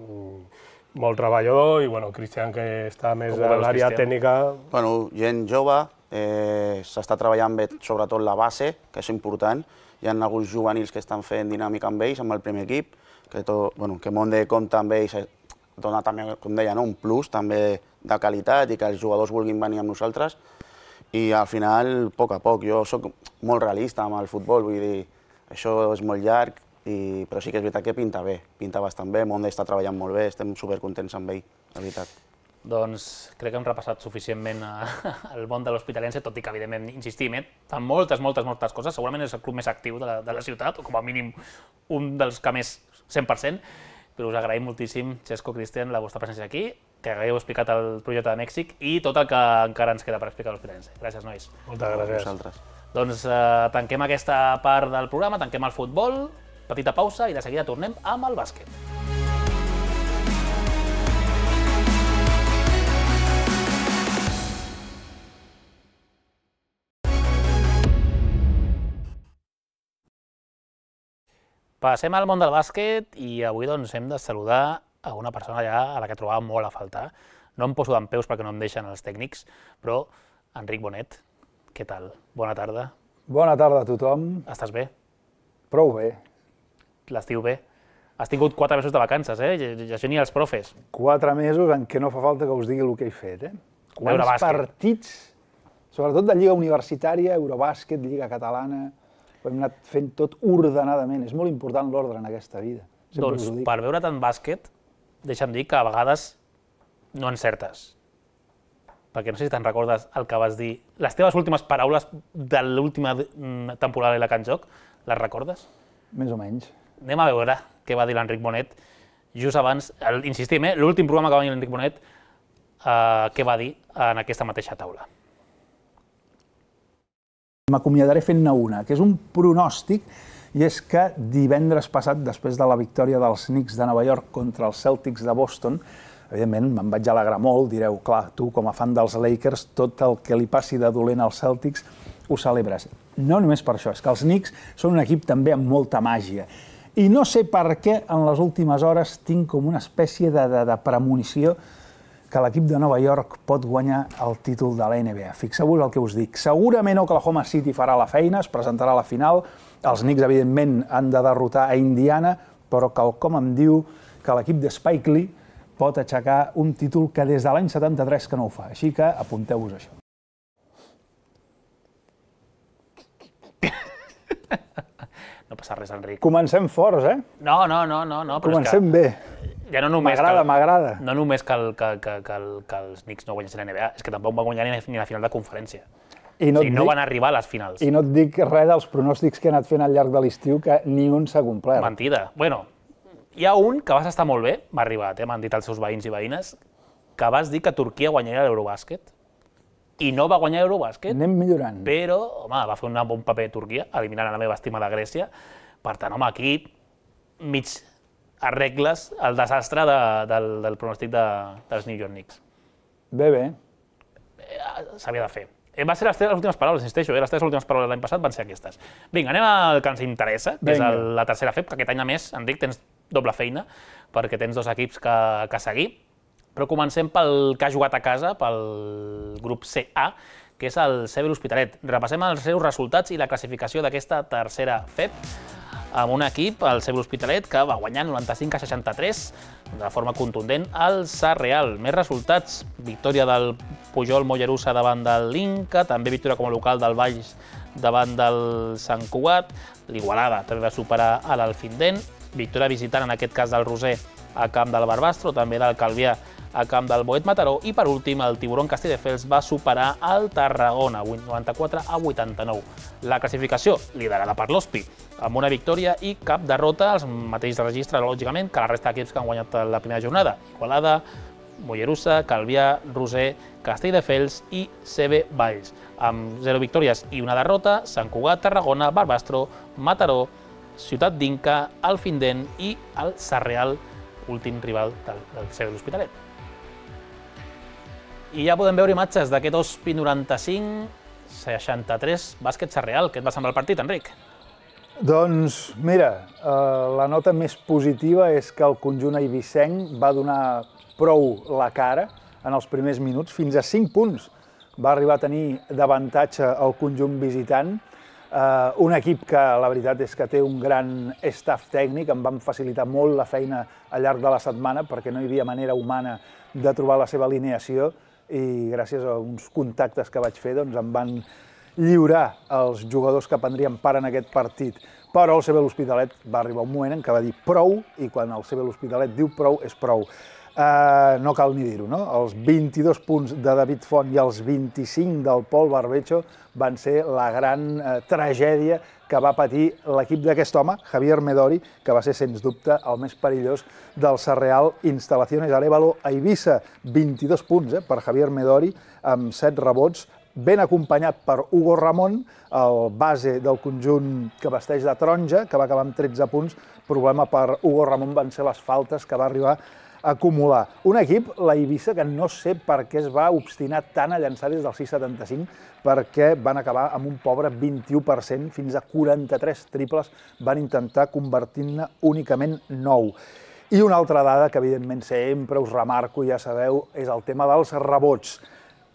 Molt treballador i, bueno, Cristian, que està més a l'àrea tècnica... Bueno, gent jove, s'està treballant bé sobretot la base, que és important, hi ha alguns juvenils que estan fent dinàmica amb ells, amb el primer equip, que Monde compta amb ells, dona també, com deia, un plus també de qualitat i que els jugadors vulguin venir amb nosaltres i al final, a poc, jo soc molt realista amb el futbol, vull dir, això és molt llarg, però sí que és veritat que pinta bé, pinta bastant bé, Monde està treballant molt bé, estem supercontents amb ell, la veritat. Doncs crec que hem repassat suficientment el món de l'Hospitalense, tot i que, evidentment, insistim, fan moltes coses, segurament és el club més actiu de la ciutat, o com a mínim un dels que més 100%, però us agraïm moltíssim, Xesco, Cristian, la vostra presència aquí, que hagueu explicat el projecte de Mèxic i tot el que encara ens queda per explicar a l'Hospitalense. Gràcies, nois. Moltes gràcies. Vosaltres. Doncs tanquem aquesta part del programa, tanquem el futbol, petita pausa i de seguida tornem amb el bàsquet. Passem al món del bàsquet i avui doncs, hem de saludar a una persona ja a la que trobava molt a faltar. No em poso dempeus perquè no em deixen els tècnics, però Enric Bonet, què tal? Bona tarda. Bona tarda a tothom. Estàs bé? Prou bé. L'estiu bé? Has tingut 4 mesos de vacances, això ni els profes. 4 mesos en què no fa falta que us digui el que he fet, Veure bàsquet. Partits Sobretot de Lliga Universitària, Eurobàsquet, Lliga Catalana, ho hem anat fent tot ordenadament. És molt important l'ordre en aquesta vida. Doncs per veure tant bàsquet, deixa'm dir que a vegades no encertes. Perquè no sé si te'n recordes el que vas dir. Les teves últimes paraules de l'última temporada de la Can Joc, les recordes? Més o menys. Anem a veure què va dir l'Enric Bonet just abans, insistim, l'últim programa que va venir l'Enric Bonet, què va dir en aquesta mateixa taula. M'acomiadaré fent-ne una, que és un pronòstic, i és que divendres passat, després de la victòria dels Knicks de Nova York contra els Celtics de Boston, evidentment me'n vaig alegrar molt, direu, clar, tu com a fan dels Lakers, tot el que li passi de dolent als Celtics ho celebres. No només per això, és que els Knicks són un equip també amb molta màgia. I no sé per què en les últimes hores tinc com una espècie de premonició que l'equip de Nova York pot guanyar el títol de la NBA. Fixeu-vos el que us dic. Segurament Oklahoma City farà la feina, es presentarà a la final, els Knicks, evidentment, han de derrotar a Indiana, però quelcom em diu que l'equip de Spike Lee pot aixecar un títol que des de l'any 73 que no ho fa. Així que apunteu-vos això. No passa res, Enric. Comencem forts, eh? No. Comencem bé. Ja no només m'agrada. No només que els Knicks no guanyessin la NBA, és que tampoc van guanyar ni la final de conferència. No van arribar a les finals. I no et dic res dels pronòstics que he anat fent al llarg de l'estiu, que ni un s'ha complert. Mentida. Bueno, hi ha un que vas estar molt bé, m'ha arribat, m'han dit els seus veïns i veïnes, que vas dir que Turquia guanyaria l'Eurobàsquet. I no va guanyar l'Eurobàsquet. Anem millorant. Però, home, va fer un bon paper Turquia, eliminant la meva estimada Grècia. Per tant, home, aquí mig arregles el desastre del pronòstic dels New York Knicks. Bé. S'havia de fer. Va ser les teves últimes paraules, insisteixo, les teves últimes paraules l'any passat van ser aquestes. Vinga, anem al que ens interessa, que és la tercera FEP, que aquest any a més, Enric, tens doble feina, perquè tens dos equips que seguir. Però comencem pel que ha jugat a casa, pel grup CA, que és el CB l'Hospitalet. Repassem els seus resultats i la classificació d'aquesta tercera FEP, amb un equip, el CB l'Hospitalet, que va guanyar 95-63 de forma contundent al Sarrial. Més resultats, victòria del Pujol Mollerussa davant del l'Inca, també victòria com a local del Valls davant del Sant Cugat, l'Igualada també va superar a l'Alfindent, victòria visitant en aquest cas del Roser a camp del Barbastro, també del Calvià a camp del Boet Mataró, i per últim el Tiburon Castelldefels va superar el Tarragona, 94-89. La classificació liderada per l'Hospi, amb una victòria i cap derrota, els mateixos registres, lògicament, que la resta d'equips que han guanyat la primera jornada. Igualada, Mollerussa, Calvià, Roser, Castelldefels i CB Valls. Amb 0 victòries i una derrota, Sant Cugat, Tarragona, Barbastro, Mataró, Ciutat d'Inca, Alfindent i el Sarrial, últim rival del CB l'Hospitalet. I ja podem veure imatges d'aquest Hospi 95-63 bàsquet Sarrial. Què et va semblar el partit, Enric? Doncs, mira, la nota més positiva és que el conjunt eivissenc va donar prou la cara en els primers minuts, fins a 5 punts va arribar a tenir d'avantatge el conjunt visitant. Un equip que la veritat és que té un gran staff tècnic, em van facilitar molt la feina al llarg de la setmana perquè no hi havia manera humana de trobar la seva alineació i gràcies a uns contactes que vaig fer doncs em van lliurar els jugadors que prendrien part en aquest partit. Però el CB l'Hospitalet va arribar un moment en què va dir prou, i quan el CB l'Hospitalet diu prou, és prou. No cal ni dir-ho, no? Els 22 punts de David Font i els 25 del Pol Barbecho van ser la gran tragèdia que va patir l'equip d'aquest home, Javier Medori, que va ser, sens dubte, el més perillós del Sarrial Instalaciones Arévalo a Eivissa. 22 punts per Javier Medori, amb 7 rebots, ben acompanyat per Hugo Ramón, el base del conjunt que vesteix de taronja, que va acabar amb 13 punts. Problema per Hugo Ramón van ser les faltes que va arribar a acumular. Un equip, la Eivissa, que no sé per què es va obstinar tant a llançar des del 6,75, perquè van acabar amb un pobre 21%, fins a 43 triples van intentar, convertint-ne únicament 9. I una altra dada que evidentment sempre us remarco, ja sabeu, és el tema dels rebots.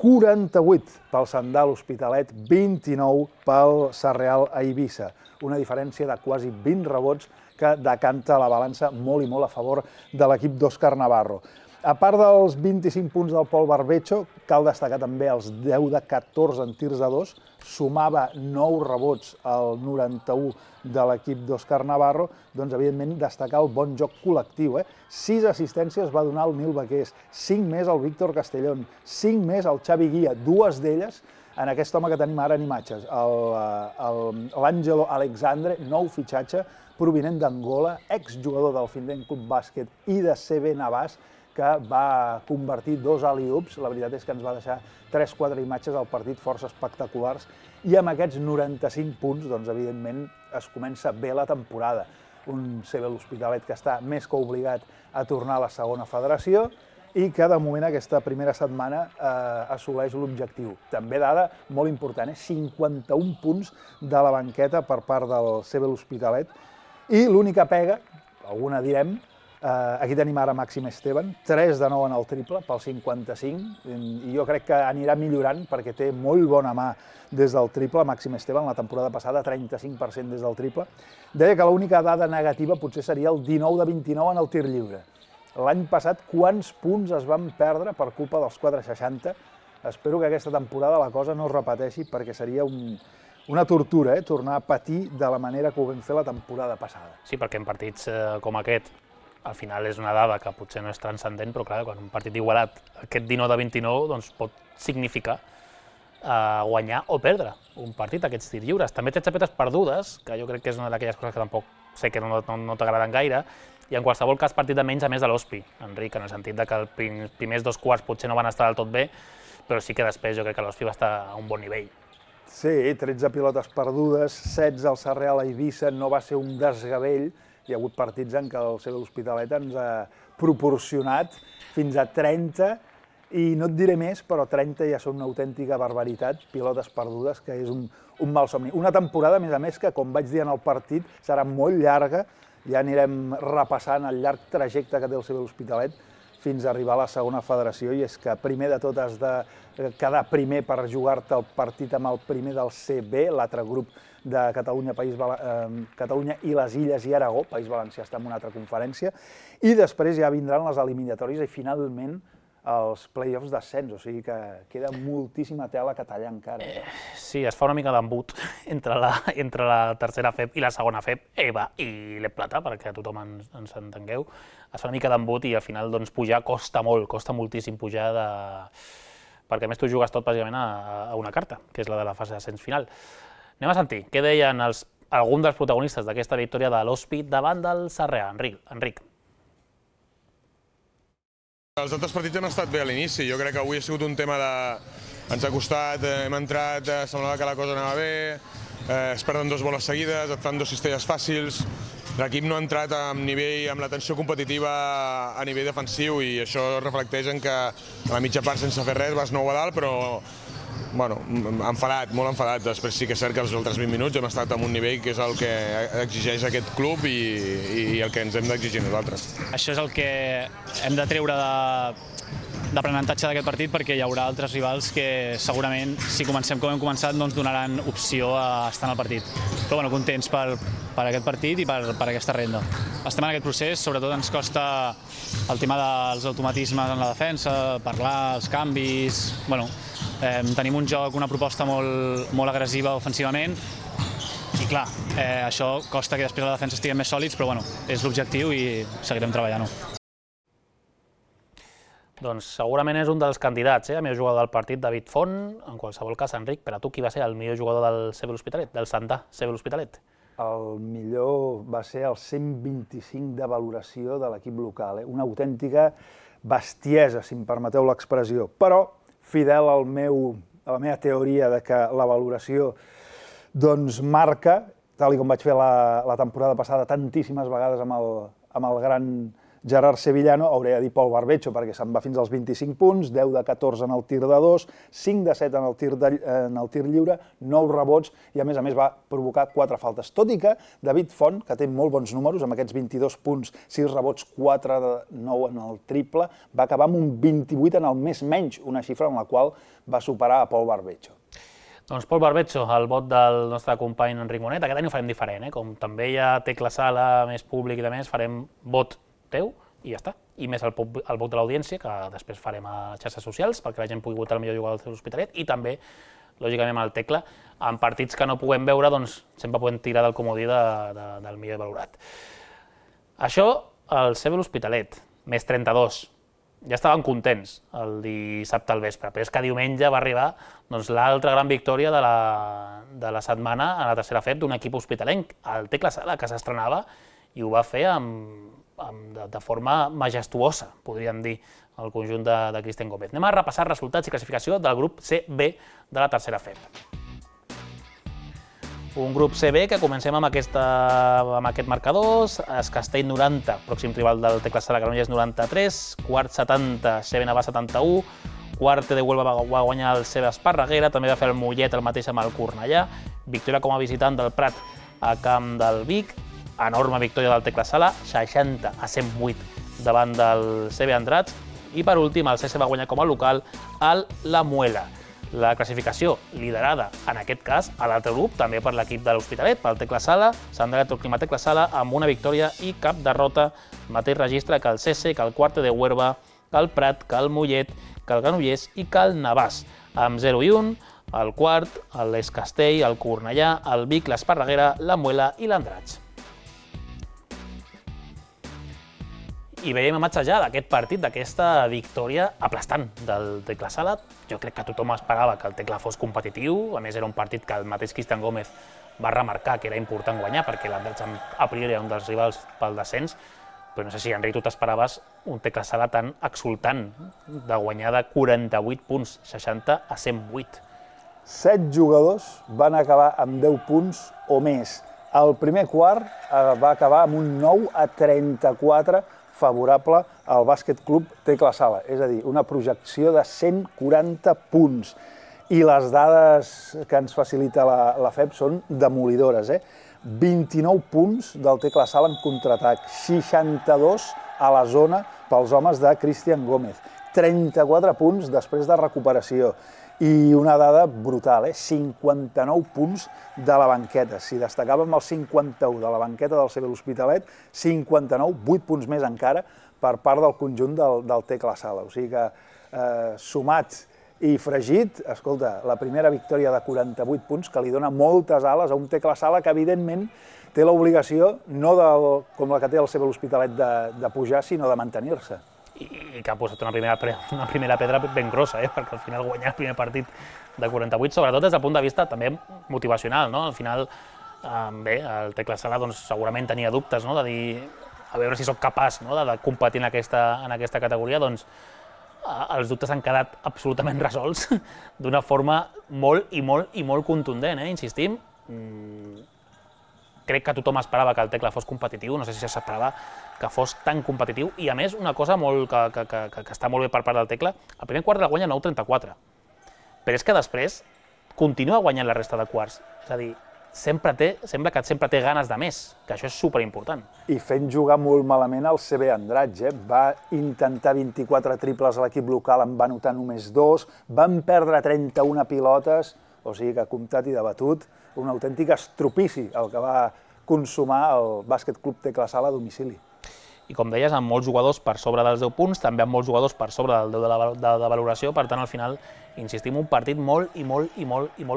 48 pel Sandal Hospitalet, 29 pel Sarrial a Eivissa. Una diferència de quasi 20 rebots que decanta la balança molt i molt a favor de l'equip d'Òscar Navarro. A part dels 25 punts del Pol Barbecho, cal destacar també els 10 de 14 en tirs a 2, sumava 9 rebots al 91 de l'equip d'Òscar Navarro, doncs evidentment destacar el bon joc col·lectiu. 6 assistències va donar el Nil Baqués, 5 més al Víctor Castellón, 5 més al Xavi Guia, 2 d'elles en aquest home que tenim ara en imatges, l'Àngelo Alexandre, nou fitxatge provinent d'Angola, exjugador del Findent Club Bàsquet i de CB Navàs, que va convertir 2 alley-oops. La veritat és que ens va deixar 3-4 imatges al partit força espectaculars i amb aquests 95 punts, doncs, evidentment, es comença bé la temporada. Un CB l'Hospitalet que està més que obligat a tornar a la segona federació i que, de moment, aquesta primera setmana assoleix l'objectiu. També dada molt important, 51 punts de la banqueta per part del CB l'Hospitalet. I l'única pega, alguna direm, aquí tenim ara Màxim Esteban, 3 de 9 en el triple, pel 55, i jo crec que anirà millorant perquè té molt bona mà des del triple. Màxim Esteban, la temporada passada, 35% des del triple. Deia que l'única dada negativa potser seria el 19 de 29 en el tir lliure. L'any passat, quants punts es van perdre per culpa dels 4,60? Espero que aquesta temporada la cosa no es repeteixi perquè seria una tortura, tornar a patir de la manera que ho vam fer la temporada passada. Sí, perquè en partits com aquest, al final és una dada que potser no és transcendent, però clar, quan un partit igualat, aquest 19 de 29, doncs pot significar guanyar o perdre un partit, aquests tirs lliures. També té xapetes perdudes, que jo crec que és una d'aquelles coses que tampoc sé que no t'agraden gaire, i en qualsevol cas partit de menys a més de l'Hospi, Enric, en el sentit que els primers 2 quarts potser no van estar del tot bé, però sí que després jo crec que l'Hospi va estar a un bon nivell. Sí, 13 pilotes perdudes, 16 al Sarrià a Eivissa, no va ser un desgavell. Hi ha hagut partits en què el CB l'Hospitalet ens ha proporcionat fins a 30, i no et diré més, però 30 ja són una autèntica barbaritat, pilotes perdudes, que és un malsomni. Una temporada, a més, que, com vaig dir en el partit, serà molt llarga, ja anirem repassant el llarg trajecte que té el CB l'Hospitalet fins a arribar a la segona federació, i és que primer de tot has de quedar primer per jugar-te el partit amb el primer del CB, l'altre grup de Catalunya i les Illes i Aragó, País Valencià està en una altra conferència, i després ja vindran les eliminatòries i finalment els play-offs d'ascens, o sigui que queda moltíssima tela que tallar encara. Sí, es fa una mica d'embut entre la tercera FEP i la segona FEP, EVA i l'Ep Plata, perquè tothom ens entengueu. Es fa una mica d'embut i al final pujar costa molt, costa moltíssim pujar, perquè a més tu jugues tot bàsicament a una carta, que és la de la fase d'ascens final. Anem a sentir què deien alguns dels protagonistes d'aquesta victòria de l'Hospi davant del Sarrià. Enric. Els altres partits han estat bé a l'inici. Jo crec que avui ha sigut un tema de... Ens ha costat, hem entrat, semblava que la cosa anava bé, es perden 2 boles seguides, et fan 2 cistelles fàcils. L'equip no ha entrat amb la tensió competitiva a nivell defensiu i això reflecteix en que a la mitja part sense fer res vas 9 a dalt, però bueno, enfadat, molt enfadat. Després sí que és cert que els altres 20 minuts hem estat en un nivell que és el que exigeix aquest club i el que ens hem d'exigir nosaltres. Això és el que hem de treure d'aprenentatge d'aquest partit, perquè hi haurà altres rivals que segurament, si comencem com hem començat, no ens donaran opció a estar en el partit. Però bueno, contents per aquest partit i per aquesta renda. Estem en aquest procés, sobretot ens costa el tema dels automatismes en la defensa, parlar, els canvis... Bueno, tenim un joc, una proposta molt agressiva ofensivament i clar, això costa que després la defensa estiguem més sòlids, però bueno, és l'objectiu i seguirem treballant-ho. Doncs segurament és un dels candidats, el millor jugador del partit, David Font. En qualsevol cas, Enric, per a tu qui va ser el millor jugador del CB l'Hospitalet, del Santà CB l'Hospitalet? El millor va ser el 125 de valoració de l'equip local, una autèntica bestiesa, si em permeteu l'expressió, però fidel a la meva teoria de que la valoració marca, tal com vaig fer la temporada passada tantíssimes vegades amb el gran Gerard Sevillano, hauré de dir Pol Barbecho, perquè se'n va fins als 25 punts, 10 de 14 en el tir de 2, 5 de 7 en el tir lliure, 9 rebots, i a més va provocar 4 faltes. Tot i que David Font, que té molt bons números, amb aquests 22 punts, 6 rebots, 4 de 9 en el triple, va acabar amb un 28 en el més menys, una xifra en la qual va superar a Pol Barbecho. Doncs Pol Barbecho, el vot del nostre company Enric Monet. Aquest any ho farem diferent, com també hi ha Tecla Sala, més públic i de més, farem vot teu i ja està. i més el vot de l'audiència, que després farem a xarxes socials perquè la gent pugui votar el millor jugador de l'Hospitalet, i també, lògicament, amb el Tecla. En partits que no puguem veure, doncs sempre podem tirar del comodí del millor valorat. Això, el CB l'Hospitalet, més 32. Ja estaven contents el dissabte al vespre, però és que diumenge va arribar l'altra gran victòria de la setmana a la tercera FEP d'un equip hospitalenc, el Tecla Sala, que s'estrenava i ho va fer de forma majestuosa, podríem dir, el conjunt de Cristian Gómez. Anem a repassar resultats i classificació del grup CB de la tercera FEP. Un grup CB que comencem amb aquest marcador: Es Castell 90, pròxim rival del Tecla Sala Granollers 93, quart 70, CB Navà 71, quart de Huelva va guanyar el CB Esparreguera, també va fer el Mollet el mateix amb el Cornellà, victòria com a visitant del Prat a camp del Vic, enorme victòria del Tecla Sala, 60-108 davant del CB Andratx, i per últim el CS va guanyar com a local el La Muela. La classificació liderada, en aquest cas, a l'altre grup, també per l'equip de l'Hospitalet, pel Tecla Sala, Sant Electroclima Tecla Sala, amb una victòria i cap derrota, mateix registre que el CC, que el Quarte de Huerva, que el Prat, que el Mollet, que el Granollers i que el Navàs, amb 0 i 1, el Quart, l'Es Castell, el Cornellà, el Vic, l'Esparreguera, la Muela i l'Andratx. I veiem imatge ja d'aquest partit, d'aquesta victòria aplastant del Tecla Sala. Jo crec que tothom esperava que el Tecla fos competitiu, a més era un partit que el mateix Cristian Gómez va remarcar que era important guanyar perquè l'Andratx a priori era un dels rivals pel descens, però no sé si, Enric, tu t'esperaves un Tecla Sala tan exultant de guanyar de 48 punts, 60-108. 7 jugadors van acabar amb 10 punts o més. El primer quart va acabar amb un 9-34 favorable al Bàsquet Club Tecla Sala, és a dir, una projecció de 140 punts. I les dades que ens facilita la FEP són demolidores. 29 punts del Tecla Sala en contraatac, 62 a la zona pels homes de Cristian Gómez, 34 punts després de recuperació. I una dada brutal, 59 punts de la banqueta. Si destacàvem el 51 de la banqueta del CB l'Hospitalet, 59, 8 punts més encara per part del conjunt del Tecla Sala. O sigui que, sumat i fregit, escolta, la primera victòria de 48 punts que li dona moltes ales a un Tecla Sala que, evidentment, té l'obligació, no com la que té el CB l'Hospitalet de pujar, sinó de mantenir-se. I que ha posat una primera pedra ben grossa, perquè al final guanyar el primer partit de 48, sobretot des del punt de vista també motivacional. Al final, bé, el Tecla Sala segurament tenia dubtes, de dir, a veure si soc capaç de competir en aquesta categoria, doncs els dubtes han quedat absolutament resolts d'una forma molt i molt contundent, insistim. Crec que tothom esperava que el Tecla fos competitiu, no sé si s'esperava que fos tan competitiu, i a més una cosa que està molt bé per part del Tecla, el primer quart la guanya 9-34, però és que després continua guanyant la resta de quarts, és a dir, sembla que sempre té ganes de més, que això és superimportant. I fent jugar molt malament el CB Andratx, va intentar 24 triples a l'equip local, en va anotar només 2, van perdre 31 pilotes, o sigui que comptat i debatut, un autèntic estropici el que va consumar el Bàsquet Club Tecla Sala a domicili. I com deies, amb molts jugadors per sobre dels 10 punts, també amb molts jugadors per sobre del 10 de valoració, per tant, al final, insistim, un partit molt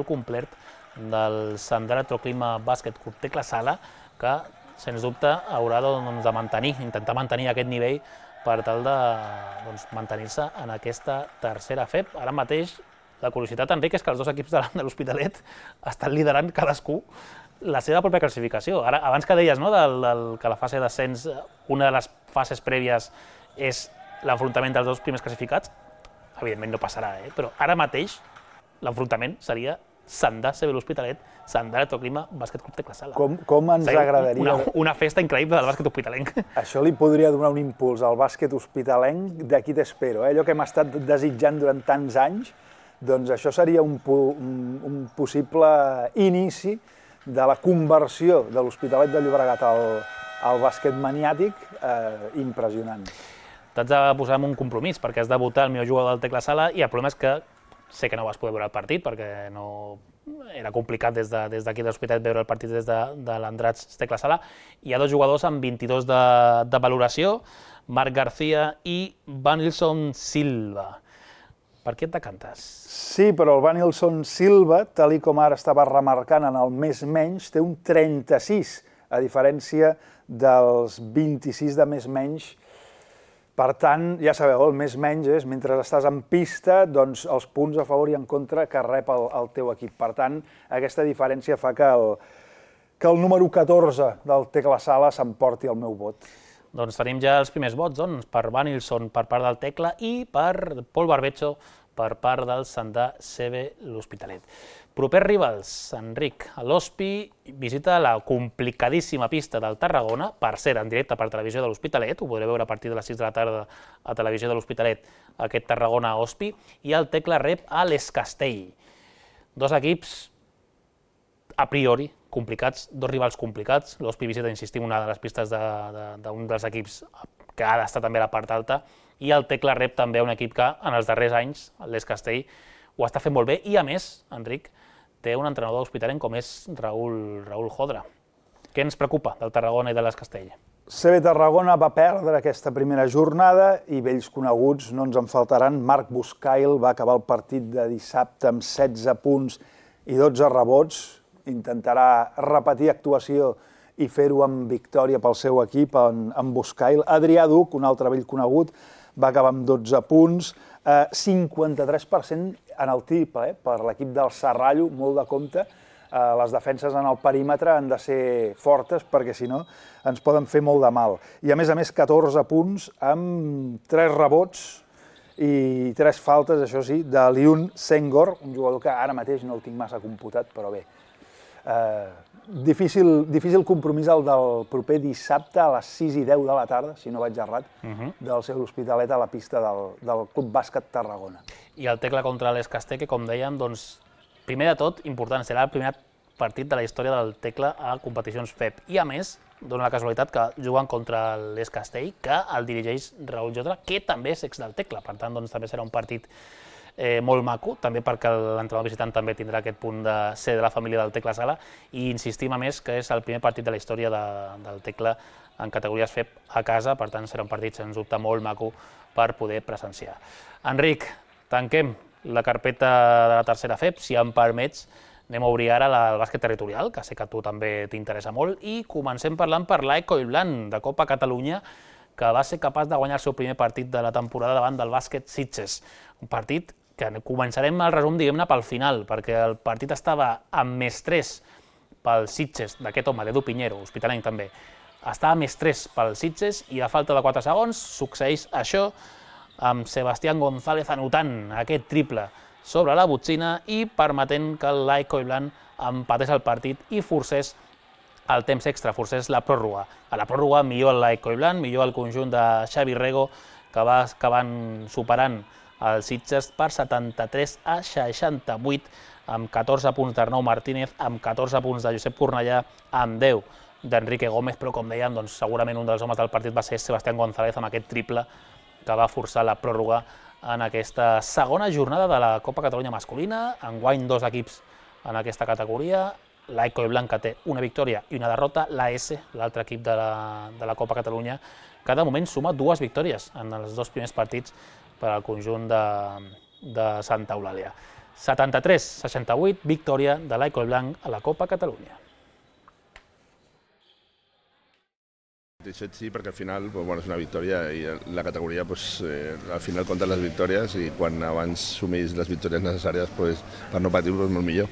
complet del Sant Electroclima Bàsquet Club Tecla Sala, que, sens dubte, haurà de intentar mantenir aquest nivell per tal de mantenir-se en aquesta tercera FEP. Ara mateix, la curiositat, Enric, és que els dos equips de l'Hospitalet estan liderant cadascú la seva pròpia classificació. Abans que deies que la fase d'ascens, una de les fases prèvies és l'enfrontament dels dos primers classificats, evidentment no passarà, però ara mateix l'enfrontament seria Sandà CB l'Hospitalet, Sandà Electroclima Bàsquet Club Tecla Sala. Com ens agradaria... Una festa increïble del bàsquet hospitalenc. Això li podria donar un impuls al bàsquet hospitalenc d'aquí t'espero. Allò que hem estat desitjant durant tants anys, doncs això seria un possible inici de la conversió de l'Hospitalet de Llobregat al bàsquet maniàtic impressionant. T'haig de posar en un compromís, perquè has de votar el millor jugador del Tecla Sala, i el problema és que sé que no vas poder veure el partit, perquè era complicat des d'aquí de l'Hospitalet veure el partit des de l'Andratx Tecla Sala. Hi ha dos jugadors amb 22 de valoració, Marc García i Vanilson Silva. Per què et decantes? Sí, però el Vanilson Silva, tal com ara estava remarcant en el més menys, té un 36, a diferència dels 26 de més menys. Per tant, ja sabeu, el més menys és, mentre estàs en pista, doncs els punts a favor i en contra que rep el teu equip. Per tant, aquesta diferència fa que el número 14 del Tecla Sala s'emporti el meu vot. Doncs tenim ja els primers vots, doncs, per Vanilson per part del Tecla i per Pol Barbecho per part del Sandà CB l'Hospitalet. Propers rivals, Enric, l'Hospi visita la complicadíssima pista del Tarragona, per cert, en directe per Televisió de l'Hospitalet, ho podreu veure a partir de les 6 de la tarda a Televisió de l'Hospitalet, aquest Tarragona-Hospi, i el Tecla rep a l'Escastell. Dos equips, a priori, complicats, dos rivals complicats. L'Hospi visita, insistim, una de les pistes d'un dels equips que ha d'estar també a la part alta, i el Tecla rep també un equip que en els darrers anys, l'Escastell, ho està fent molt bé, i a més, Enric, té un entrenador hospitalenc com és Raül Jodra. Què ens preocupa del Tarragona i de l'Escastell? CB Tarragona va perdre aquesta primera jornada i vells coneguts no ens en faltaran. Marc Buscail va acabar el partit de dissabte amb 16 punts i 12 rebots. Intentarà repetir actuació i fer-ho amb victòria pel seu equip, en Buscail. Adrià Duc, un altre vell conegut, va acabar amb 12 punts, 53% en el triple per l'equip del Serrallo, molt de compte. Les defenses en el perímetre han de ser fortes perquè si no ens poden fer molt de mal. I a més 14 punts amb 3 rebots i 3 faltes, això sí, de Liun Senghor, un jugador que ara mateix no el tinc massa computat, però bé. Difícil compromís el del proper dissabte a les 6:10 de la tarda, si no vaig errat, del seu Hospitalet a la pista del Club Bàsquet Tarragona. I el Tecla contra l'Escastell, que com dèiem, doncs, primer de tot, important, serà el primer partit de la història del Tecla a competicions FEP. I a més, dona la casualitat que juguen contra l'Escastell, que el dirigeix Raül Jodra, que també és ex del Tecla, per tant, doncs, també serà un partit molt maco, també perquè l'entrenador visitant també tindrà aquest punt de ser de la família del Tecla Sala, i insistim a més que és el primer partit de la història del Tecla en categories FEP a casa, per tant serà un partit sens dubte molt maco per poder presenciar. Enric, tanquem la carpeta de la tercera FEP, si em permets, anem a obrir ara el bàsquet territorial, que sé que a tu també t'interessa molt, i comencem parlant per l'Ecoilblanc de Copa Catalunya, que va ser capaç de guanyar el seu primer partit de la temporada davant del bàsquet Sitges. Un partit que començarem el resum, diguem-ne, pel final, perquè el partit estava amb +3 pel Sitges d'aquest home, d'Edu Piñero, hospitalenc també. Estava +3 pel Sitges i a falta de 4 segons succeeix això, amb Sebastián González anotant aquest triple sobre la botzina i permetent que l'Ecoilblanc empatés el partit i forcés el temps extra, forcés la pròrroga. A la pròrroga millor l'Ecoilblanc, millor el conjunt de Xavi Rego, que va acabant superant els Sitges per 73-68, amb 14 punts d'Arnau Martínez, amb 14 punts de Josep Cornellà, amb 10 d'Enrique Gómez, però com dèiem, doncs, segurament un dels homes del partit va ser Sebastián González amb aquest triple que va forçar la pròrroga en aquesta segona jornada de la Copa Catalunya masculina. Enguany 2 equips en aquesta categoria, l'Ecoilblanc que té una victòria i una derrota, l'AS, l'altre equip de la Copa Catalunya, que de moment suma 2 victòries en els 2 primers partits per al conjunt de Santa Eulàlia. 73-68, victòria de l'Ecoilblanc a la Copa Catalunya. Sí, perquè al final és una victòria i la categoria al final compta les victòries i quan abans sumís les victòries necessàries per no patir és molt millor.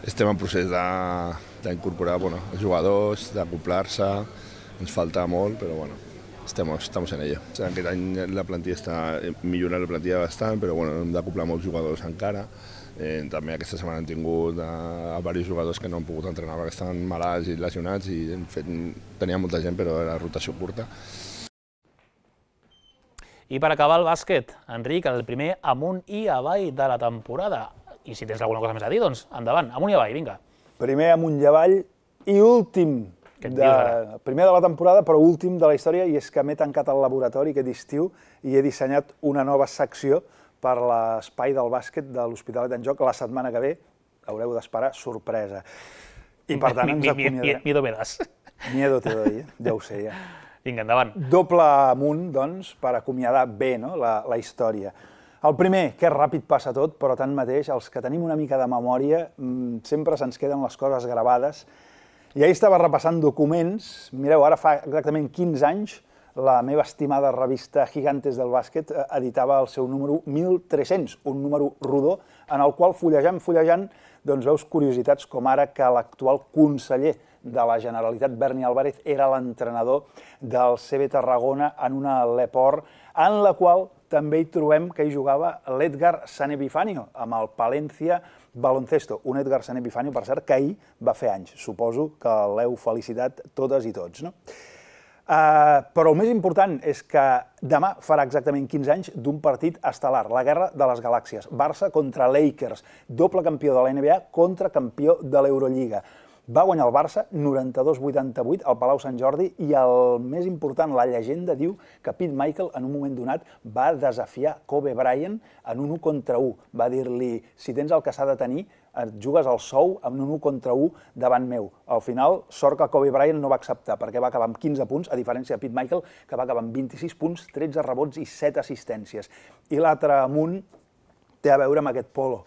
Estem en procés d'incorporar els jugadors, d'acoplar-se, ens falta molt, però estamos en ello. Aquest any la plantilla està millorant la plantilla bastant, però hem d'acoplar molts jugadors encara. També aquesta setmana hem tingut diversos jugadors que no han pogut entrenar perquè estan malalts i lesionats i tenia molta gent però era rotació curta. I per acabar el bàsquet, Enric, el primer amunt i avall de la temporada. I si tens alguna cosa més a dir, doncs endavant, amunt i avall, vinga. Primer amunt i avall i últim, primer de la temporada però últim de la història, i és que m'he tancat al laboratori aquest estiu i he dissenyat una nova secció per l'espai del bàsquet de l'Hospitalet en Joc. La setmana que ve haureu d'esperar sorpresa. I per tant ens acomiadarem. Miedo me das. Miedo te doy, ja ho sé, ja. Vinga, endavant. Doble amunt, doncs, per acomiadar bé la història. El primer, que ràpid passa tot, però tanmateix, els que tenim una mica de memòria, sempre se'ns queden les coses gravades. I ahir estava repassant documents. Mireu, ara fa exactament 15 anys, la meva estimada revista Gigantes del Bàsquet editava el seu número 1300, un número rodó, en el qual fullejant, doncs veus curiositats com ara que l'actual conseller de la Generalitat, Berni Álvarez, era l'entrenador del CB Tarragona en una Leport, en la qual també hi trobem que hi jugava l'Edgar San Epifanio, amb el Palencia Baloncesto. Un Edgar San Epifanio, per cert, que ahir va fer anys. Suposo que l'heu felicitat totes i tots, no? Però el més important és que demà farà exactament 15 anys d'un partit estel·lar, la Guerra de les Galàxies. Barça contra Lakers, doble campió de la NBA contra campió de l'Eurolliga. Va guanyar el Barça 92-88 al Palau Sant Jordi i el més important, la llegenda diu que Pete Michael en un moment donat va desafiar Kobe Bryant en un 1 contra 1. Va dir-li, si tens el que s'ha de tenir, et jugues al sou amb un 1 contra 1 davant meu. Al final, sort que Kobe Bryant no va acceptar perquè va acabar amb 15 punts, a diferència de Pete Michael, que va acabar amb 26 punts, 13 rebots i 7 assistències. I l'altre amunt té a veure amb aquest polo.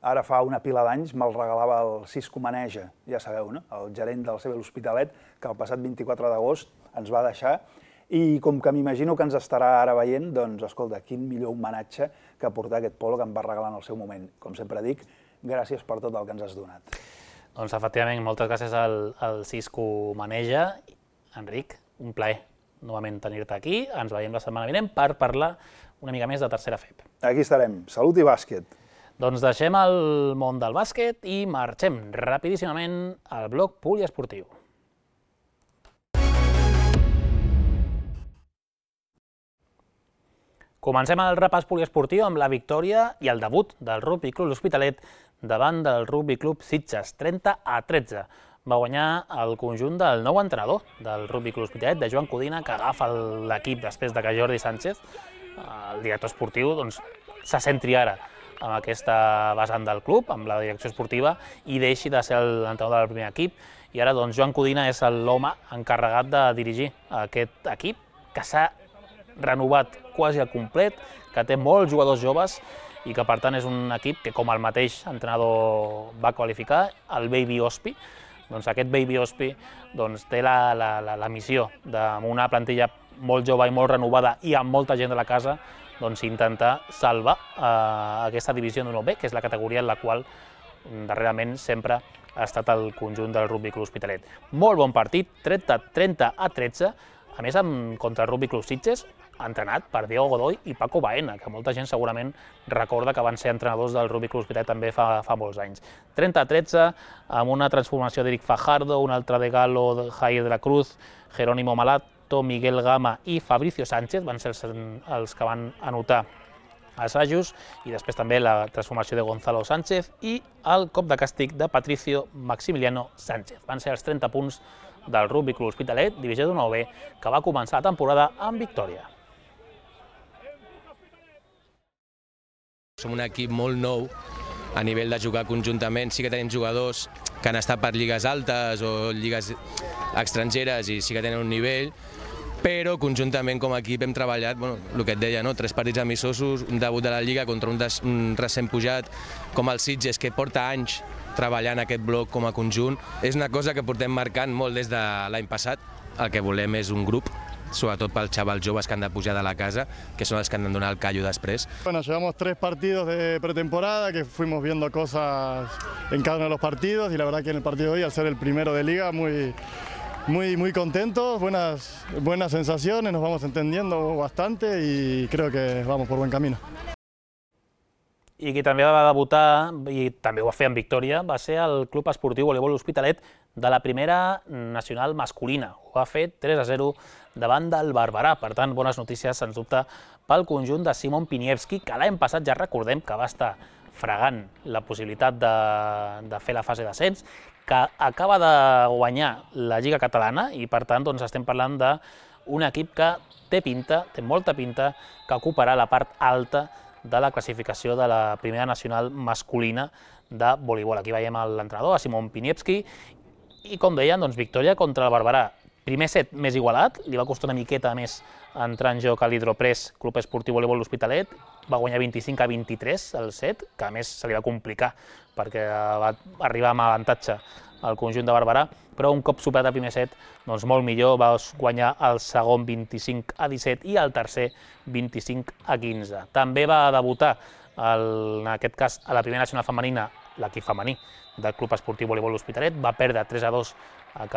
Ara fa una pila d'anys me'l regalava el Cisco Maneja, ja sabeu, no? El gerent del CB L'Hospitalet, que el passat 24 d'agost ens va deixar. I com que m'imagino que ens estarà ara veient, doncs, escolta, quin millor homenatge que portar aquest polo que em va regalar en el seu moment. Com sempre dic, gràcies per tot el que ens has donat. Doncs, efectivament, moltes gràcies al Cisco Maneja. Enric, un plaer novament tenir-te aquí. Ens veiem la setmana vinent per parlar una mica més de tercera FEP. Aquí estarem. Salut i bàsquet. Doncs deixem el món del bàsquet i marxem rapidíssimament al bloc poliesportiu. Comencem el repàs poliesportiu amb la victòria i el debut del Rugby Club L'Hospitalet davant del Rugby Club Sitges, 30-13. Va guanyar el conjunt del nou entrenador del Rugby Club L'Hospitalet, de Joan Codina, que agafa l'equip després que Jordi Sánchez, el director esportiu, se centri ara amb aquesta vessant del club, amb la direcció esportiva, i deixi de ser l'entrenador del primer equip. I ara Joan Codina és l'home encarregat de dirigir aquest equip, que s'ha renovat quasi al complet, que té molts jugadors joves i que per tant és un equip que, com el mateix entrenador va qualificar, el Baby Ospi, doncs aquest Baby Ospi té la missió d'una plantilla molt jove i molt renovada i amb molta gent de la casa, intentar salvar aquesta divisió d'1B, que és la categoria en la qual darrerament sempre ha estat el conjunt del Rugby Club L'Hospitalet. Molt bon partit, 30-13, a més contra el Rugby Club Sitges, entrenat per Diego Godoy i Paco Baena, que molta gent segurament recorda que van ser entrenadors del Rugby Club L'Hospitalet també fa molts anys. 30-13, amb una transformació d'Eric Fajardo, un altre de Galo, Jair de la Cruz, Jerónimo Malato, Miguel Gama i Fabricio Sánchez van ser els que van anotar assajos, i després també la transformació de Gonzalo Sánchez i el cop de càstig de Patricio Maximiliano Sánchez. Van ser els 30 punts del Rugby Club L'Hospitalet, divisió d'1B, que va començar la temporada amb victòria. Som un equip molt nou a nivell de jugar conjuntament. Sí que tenim jugadors que han estat per lligues altes o lligues estrangeres i sí que tenen un nivell, però conjuntament com a equip hem treballat, el que et deia, 3 partits amistosos, un debut de la Lliga contra un recent pujat com el Sitges, que porta anys treballant aquest bloc com a conjunt. És una cosa que portem marcant molt des de l'any passat. El que volem és un grup, sobretot pels xavals joves que han de pujar de la casa, que són els que han de donar el callo després. Bueno, llevamos 3 partidos de pretemporada, que fuimos viendo cosas en cada uno de los partidos, y la verdad que en el partido de hoy, al ser el primero de Liga, muy contentos, buenas sensaciones, nos vamos entendiendo bastante y creo que vamos por buen camino. I qui també va debutar, i també ho va fer amb victòria, va ser el Club Esportiu Voleibol L'Hospitalet de la primera nacional masculina. Ho va fer 3-0 davant del Barberà. Per tant, bones notícies, sens dubte, pel conjunt de Simon Piniewski, que l'any passat ja recordem que va estar fregant la possibilitat de fer la fase d'ascens, que acaba de guanyar la Lliga Catalana i, per tant, estem parlant d'un equip que té pinta, té molta pinta, que ocuparà la part alta de la classificació de la primera nacional masculina de voleibol. Aquí veiem l'entrenador, Simon Piniewski, i com deien, victòria contra el Barberà. Primer set més igualat, li va costar una miqueta més entrar en joc a l'Hidropress Club Esportiu Voleibol l'Hospitalet, va guanyar 25-23 el set, que a més se li va complicar perquè va arribar amb avantatge al conjunt de Barberà, però un cop superat el primer set, doncs molt millor, va guanyar el segon 25-17 i el tercer 25-15. També va debutar, en aquest cas, a la primera nacional femenina, l'equip femení del Club Esportiu Voleibol l'Hospitalet, va perdre 3-2 a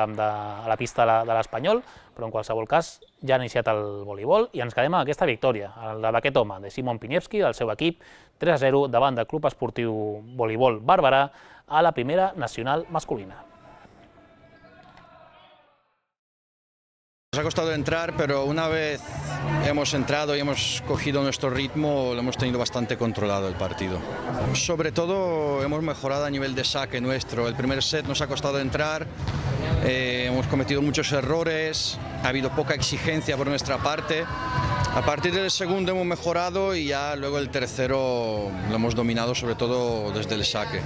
la pista de l'Espanyol, però en qualsevol cas ja ha iniciat el voleibol i ens quedem amb aquesta victòria, la d'aquest home, de Simon Piniewski, del seu equip, 3-0 davant del Club Esportiu Voleibol Barberà a la primera nacional masculina. Nos ha costado entrar, pero una vez hemos entrado y hemos cogido nuestro ritmo, lo hemos tenido bastante controlado el partido. Sobre todo hemos mejorado a nivel de saque nuestro. El primer set nos ha costado entrar, hemos cometido muchos errores, ha habido poca exigencia por nuestra parte. A partir del segundo hemos mejorado y ya luego el tercero lo hemos dominado, sobre todo desde el saque.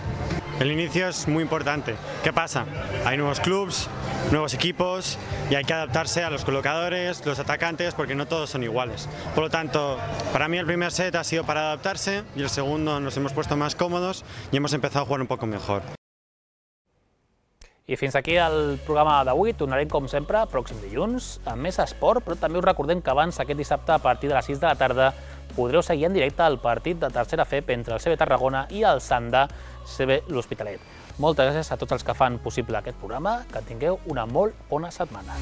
El inicio es muy importante. ¿Qué pasa? Hay nuevos clubs, nuevos equipos y hay que adaptarse a los colocadores, los atacantes, porque no todos son iguales. Por lo tanto, para mí el primer set ha sido para adaptarse y el segundo nos hemos puesto más cómodos y hemos empezado a jugar un poco mejor. I fins aquí el programa d'avui. Tornarem, com sempre, pròxim dilluns, amb més esport, però també us recordem que abans, aquest dissabte, a partir de les 6 de la tarda, podreu seguir en directe el partit de tercera FEP entre el CB Tarragona i el Sandà CB l'Hospitalet. Moltes gràcies a tots els que fan possible aquest programa, que tingueu una molt bona setmana.